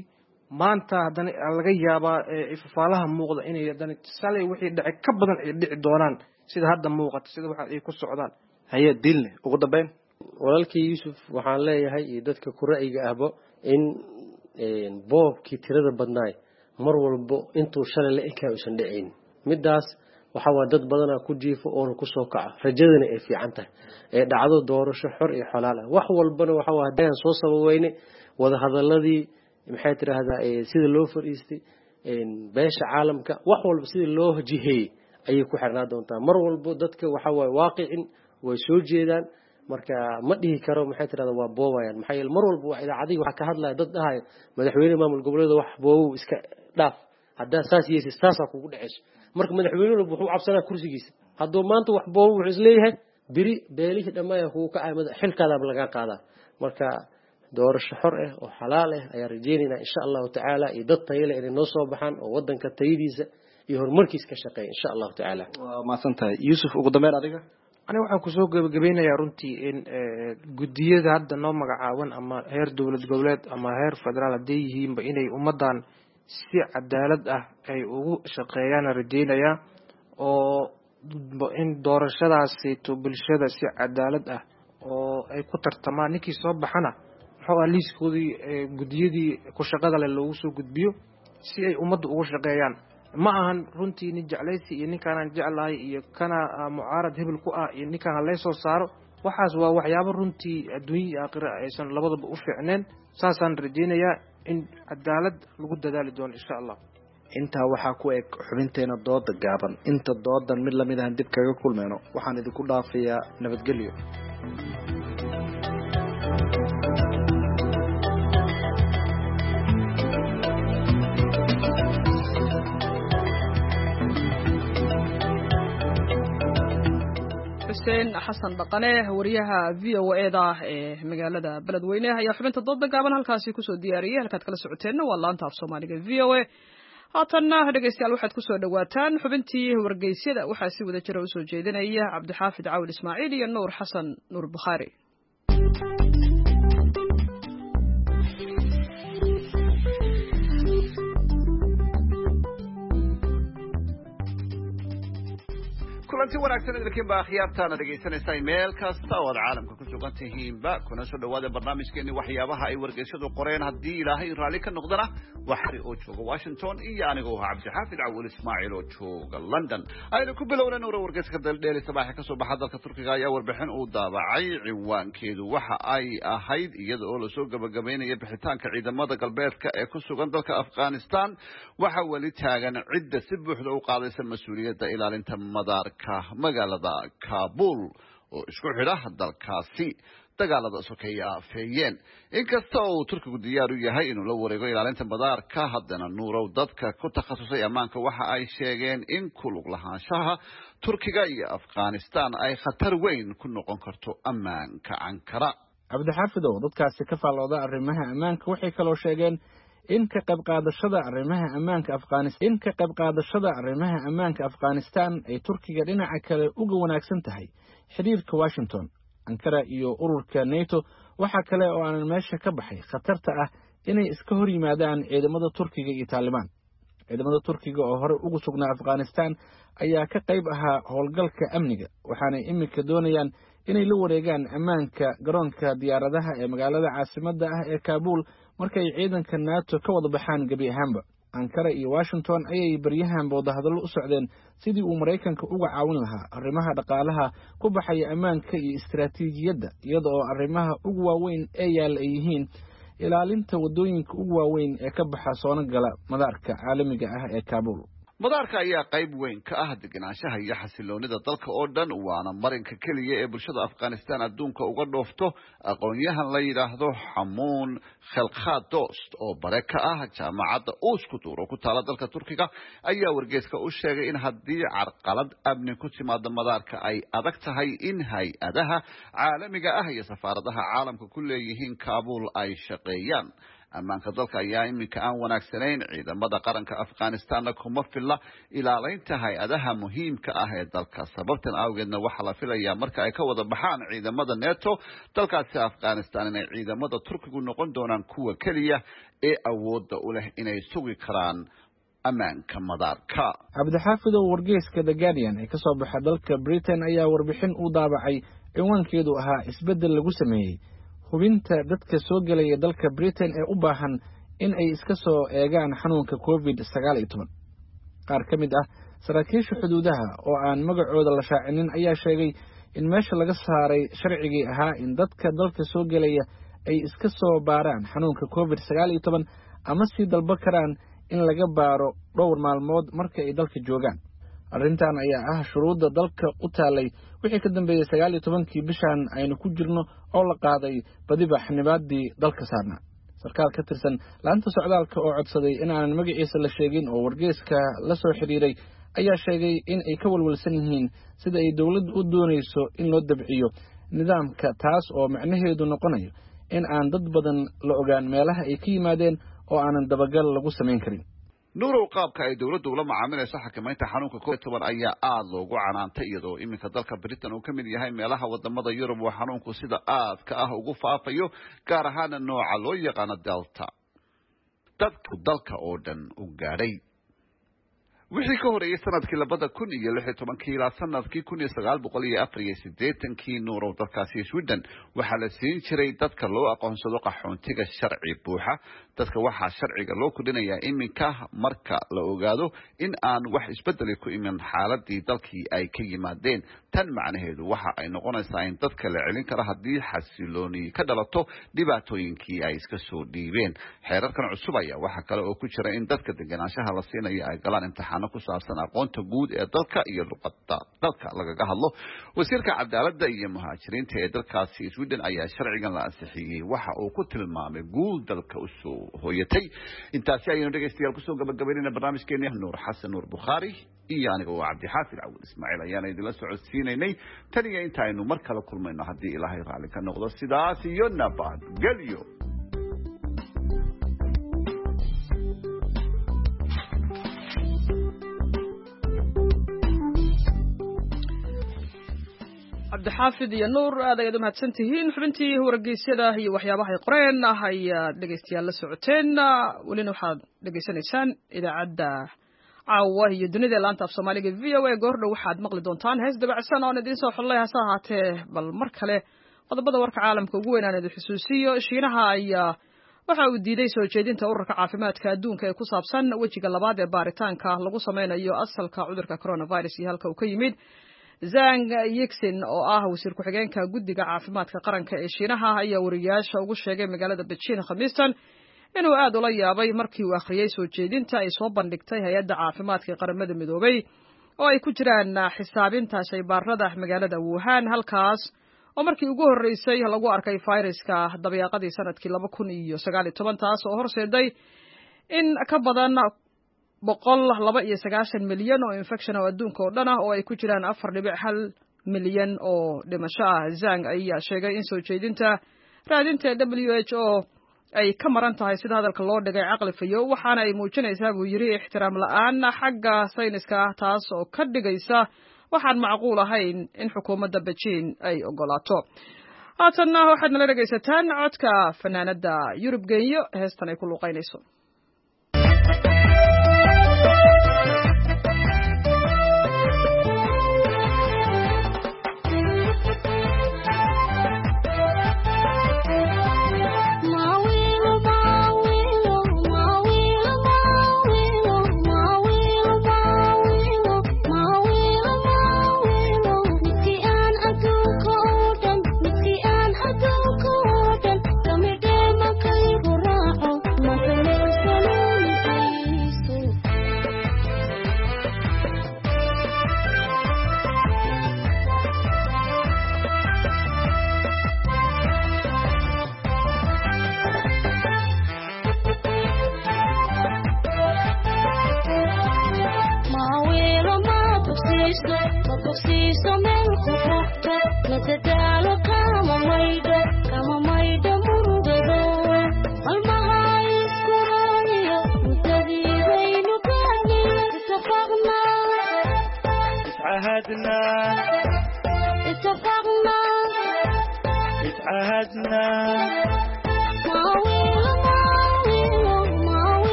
maanta haddana laga yaabaa ifafaalaha muuqda inay haddana shalay wixii dhacay ka badan ay dhici doonaan, sida hadda muuqata, sida waxa ay ku socdaan. Haye Diilne, ugu dambeyn. Walaalkii Yuusuf waxaan leeyahay iyo dadka ku ra'yiga ahba in boobkii tirada badnaay mar walbo intuu shalay la ekaa uusan dhicin. Midaas waxaa waa dad badanaa ku jiifo oona kusoo kaca, rajadana ay fiican tahay ee dhacdo doorasho xor iyo xolaal ah. Wax walbana waxa waa haddaan soo sababeyne wadahadaladii, maxay tidhaahdaa, sida loo fadhiistay beesha caalamka, wax walba sida loo jiheeyey ayay ku xirnaa doontaa. Mar walbo dadka waxa waaye waaqicin way soo jeedaan. Marka ma dhihi karo, maxay tirahdaa, waa boobayaan, maxaa yeele mar walba waa idaacadihii waxaa ka hadlaya dad dhahayo madaxweyne maamul goboleeda wax boobow iska dhaaf, haddaa saas yeesid saasaa kugu dhacayso. Marka madaxweyne walba wuxuu cabsanaa kursigiisa. Hadduu maanta wax boobo, wuxuu isleeyahay beri beelihii dhammaaya kugu kacay, xilkaadaaba lagaa qaadaa. Marka doorasho xor ah oo xalaal ah ayaan rajeynaynaa insha Allahu tacaala, iyo dad tayo leh inay noo soo baxaan oo wadanka tayadiisa iyo horumarkiisa ka shaqeeya insha Allahu tacaala. Waa mahadsan tahay Yuusuf. Ugu dambeyn adiga. Aniga waxaan kusoo gebagabeynayaa runtii in guddiyada hadda noo magacaaban ama heer dowlad goboleed ama heer federaal hadday yihiinba inay ummaddan si cadaalad ah ay ugu shaqeeyaan rajeynayaa, oo in doorashadaasito bulshada si cadaalad ah oo ay ku tartamaan, ninkii soo baxana muxuu ah liiskoodii guddiyadii ku shaqada leh loogu soo gudbiyo si ay ummadda ugu shaqeeyaan. Ma ahan runtii nin jeclaysi iyo ninkaanaan jeclahay iyo kana mucaarad hebel ku ah iyo ninkaan halee soo saaro. Waxaas waa waxyaabo runtii adduunya iyo aakhira aysan labadaba u fiicneen. Saasaan rajeynayaa in cadaalad lagu dadaali doono insha Allah. Intaa waxaa ku eg xubinteena dooda gaaban. Inta doodan mid lamid ahan dib kaga kulmayno, waxaan idinku dhaafayaa nabadgelyo. Xuseen Xasan Dhaqane, wariyaha VOA-da ee magaalada Beledweyne, ayaa xubinta dooda gaaban halkaasi kusoo diyaariyey. Halkaad kala socoteenna waa laanta af Soomaaliga VOA. Haatanna dhegeystayaal, waxaad kusoo dhowaataan xubintii wargeysyada. Waxaa si wada jira usoo jeedinaya Cabdixaafid Cawil Ismaaciil iyo Nuur Xasan Nuur Bukhaari. Kulanti wanaagsan idinkiinba akhyaartaana dhegaysanaysaa meel kasta oo aad caalamka ku sugan tihiinba, kuna soo dhawaada barnaamijkeeni waxyaabaha ay wargeysyadu qoreen. Haddii Ilaahay raalli ka noqdana, waxari oo jooga Washington iyo anigoo ahaa Cabdixaafid Cawil Ismaaciil oo jooga London. Aynu ku bilowna nuura. Wargeyska Daldheeli Sabaaxe kasoo baxa dalka Turkiga ayaa warbixin uu daabacay ciwaankeedu waxa ay ahayd: iyada oo lasoo gabagabeynaya bixitaanka ciidamada galbeedka ee ku sugan dalka Afghanistan, waxa weli taagan cidda si buuxda u qaadaysa mas-uuliyadda ilaalinta madaarka magaalada Kabul oo isku xidha dalkaasi dagaalada sokeeye aafeeyeen. Inkasta oo uu Turkigu diyaar u yahay inuu la wareego ilaalinta madaarka, haddana Nuurow, dadka ku takhasusay ammaanka waxa ay sheegeen in ku lug lahaanshaha Turkiga iyo Afghanistan ay khatar weyn ku noqon karto ammaanka Ankara. Cabdixaafidow, dadkaasi ka faallooda arrimaha ammaanka waxay kaloo sheegeen in ka qayb qaadashada arrimaha ammaanka Afghanistan in ka qayb qaadashada arrimaha ammaanka Afghanistan ay Turkiga dhinaca kale uga wanaagsan tahay xiriirka Washington, Ankara iyo ururka NATO. Waxa kale oo aanan meesha ka baxay khatarta ah inay iska hor yimaadaan ciidamada Turkiga iyo Taalibaan. Ciidamada Turkiga oo hore ugu sugnaa Afghanistan ayaa ka qayb ahaa howlgalka amniga, waxaanay iminka doonayaan inay la wareegaan ammaanka garoonka diyaaradaha ee magaalada caasimadda ah ee Kaabuul markay ciidanka NATO ka wada baxaan gebi ahaanba. Ankara iyo Washington ayay baryahan wadahadallo u socdeen sidii uu Maraykanka uga caawin lahaa arrimaha dhaqaalaha ku baxaya ammaanka iyo istaraatiijiyadda, iyada oo arrimaha ugu waaweyn ee yaalla ay yihiin ilaalinta waddooyinka ugu waaweyn ee ka baxa soona gala madaarka caalamiga ah ee Kaabul. Madaarka ayaa qayb weyn ka ah degenaanshaha iyo xasiloonida dalka oo dhan, waana marinka keliya ee bulshada Afghanistan adduunka uga dhoofto. Aqoon-yahan la yidhaahdo Xamuun Khelkhad Dost oo bare ka ah jaamacadda Uskudur oo ku taala dalka Turkiga ayaa wargeyska u sheegay in haddii carqalad amni ku timaado madaarka ay adag tahay in hay-adaha caalamiga ah iyo safaaradaha caalamka ku leeyihiin Kaabul ay shaqeeyaan. Ammaanka dalka ayaa iminka aan wanaagsanayn, ciidamada qaranka Afghanistanna kuma filla ilaaleynta hay-adaha muhiimka ah ee dalka. Sababtan awgeedna waxaa la filayaa marka ay ka wada baxaan ciidamada NATO dalkaasi Afghanistan inay ciidamada Turkigu noqon doonaan kuwa keliya ee awoodda u leh inay sugi karaan ammaanka madaarka. Cabdixaafidow, wargeyska The Guardian ee kasoo baxa dalka Britain ayaa warbixin u daabacay cinwaankeedu ahaa isbeddel lagu sameeyey hubinta dadka soo gelaya dalka Britain ee u baahan in ay iska soo eegaan xanuunka COVID-19. Qaar ka mid ah saraakiisha xuduudaha oo aan magacooda la shaacinin ayaa sheegay in meesha laga saaray sharcigii ahaa in dadka dalka soo gelaya ay iska soo baaraan xanuunka COVID-19 ama sii dalba karaan in laga baaro dhowr maalmood marka ay dalka joogaan. Arrintan ayaa ah shuruudda dalka u taalay wixii ka dambeeyey 19-kii bishan aynu ku jirno oo la qaaday badiba xanibaadii dalka saarnaa. Sarkaal ka tirsan laanta socdaalka oo codsaday in aanan magaciisa la sheegin oo wargeyska la soo xidhiiray ayaa sheegay in ay ka walwalsan yihiin sida ay dowladdu u doonayso in loo dabciyo nidaamka, taas oo macnaheedu noqonayo in aan dad badan la ogaan meelaha ay ka yimaadeen oo aanan dabagal lagu samayn karin. Nuurow, qaabka ay dowladdu ula macaamilayso xakameynta xanuunka COVID-19 ayaa aada loogu canaantay, iyadoo iminka dalka Britain uu ka mid yahay meelaha wadamada Yurub oo xanuunku sida aadka ah ugu faafayo, gaar ahaana nooca loo yaqaano Delta, dadku dalka oo dhan u gaadhay. Wixii ka horeeyey sanadkii 2016-kii ilaa sanadkii 1984-kii, Nuurow, dalkaasi Sweden waxaa la siin jiray dadka loo aqoonsado qaxoontiga sharci buuxa. Dadka waxaa sharciga loo kordhinayaa iminka marka la ogaado in aan wax isbedeli ku imin xaaladii dalkii ay ka yimaadeen. Tan macnaheedu waxa ay noqonaysaa in dadka la celin karo haddii xasilooni ka dhalato dhibaatooyinkii ay iska soo dhiibeen. Xeerarkan cusub ayaa waxaa kale oo ku jira in dadka degenaanshaha la siinayo ay galaan imtixaano ku saabsan aqoonta guud ee dalka iyo luqadda dalka lagaga hadlo. Wasiirka cadaaladda iyo muhaajiriinta ee dalkaasi Sweden ayaa sharcigan la ansixiyey waxa uu ku tilmaamay guul dalka usoo hooyatay. Intaasi ayaynu dhegeystayaal kusoo gabagabaynayna barnaamijkeeni. Nuur Xasan Nuur Bukhaari iyo aniga oo Cabdixaafid Cawil Ismaaciil ayaana idinla socodsiinaynay tan iyo inta aynu mar kale kulmayno haddii Ilaahay raalli ka noqdo, sidaas iyo nabadgelyo. Cabdixaafid iyo Nuur, aad ayaad u mahadsan tihiin. Xubintii wargeysyada iyo waxyaabahay qoreen ayaad dhegeystayaal la socoteen. Welina waxaad dhegeysanaysaan idaacadda caawa iyo dunida laanta af Soomaaliga VOA. Goordhow waxaad maqli doontaan hees dabacsan oon idiin soo xullay, hase ahaatee bal mar kale qodobada warka caalamka ugu weyn aan idin xusuusiyo. Shiinaha ayaa waxa uu diiday soo jeedinta ururka caafimaadka adduunka ee ku saabsan wejiga labaad ee baaritaanka lagu sameynayo asalka cudurka coronavirus iyo halka uu ka yimid. Zhang Yixin oo ah wasiir ku-xigeenka guddiga caafimaadka qaranka ee Shiinaha ayaa wariyaasha ugu sheegay magaalada Beijing Khamiistan inuu aad ula yaabay markii uu akhriyey soo jeedinta ay soo bandhigtay hay-adda caafimaadka ee qaramada midoobay oo ay ku jiraan xisaabinta shaybaarada magaalada Wuhan, halkaas oo markii ugu horreysay lagu arkay fayraska dabeeqadii sanadkii 2019, taas oo horseeday in ka badan 192 milyan oo infection oo adduunka oo dhan ah oo ay ku jiraan 4.1 milyan oo dhimasho ah. Zhang ayaa sheegay in soo jeedinta raadinta WHO ay ka maran tahay sida hadalka loo dhigay caqli fayo, waxaana ay muujinaysaa buu yidhi ixtiraam la'aan xagga sayniska ah, taas oo ka dhigaysa waxaan macquul ahayn in xukuumadda Beijing ay ogolaato. Haatanna waxaad nala dhegaysataan codka fanaanadda Yurub Genyo, heestan ay ku luuqaynayso. Ma wilo, ma wilo, ma wilo, ma wilo.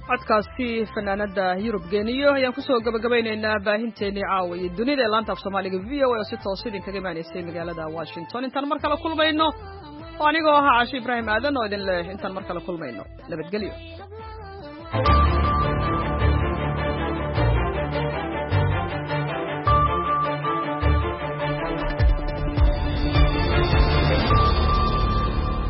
Codkaasi fanaanada Yurub Geeniyo ayaan kusoo gabagabaynaynaa baahinteennii caawa iyo dunida ee laanta af Soomaaliga v o a oo si toos idinkaga imaanaysay magaalada Washington. Intaan mar kale kulmayno oo anigoo ahaa Caashi Ibraahim Aadan oo idin leh intaan mar kale kulmayno nabadgelyo.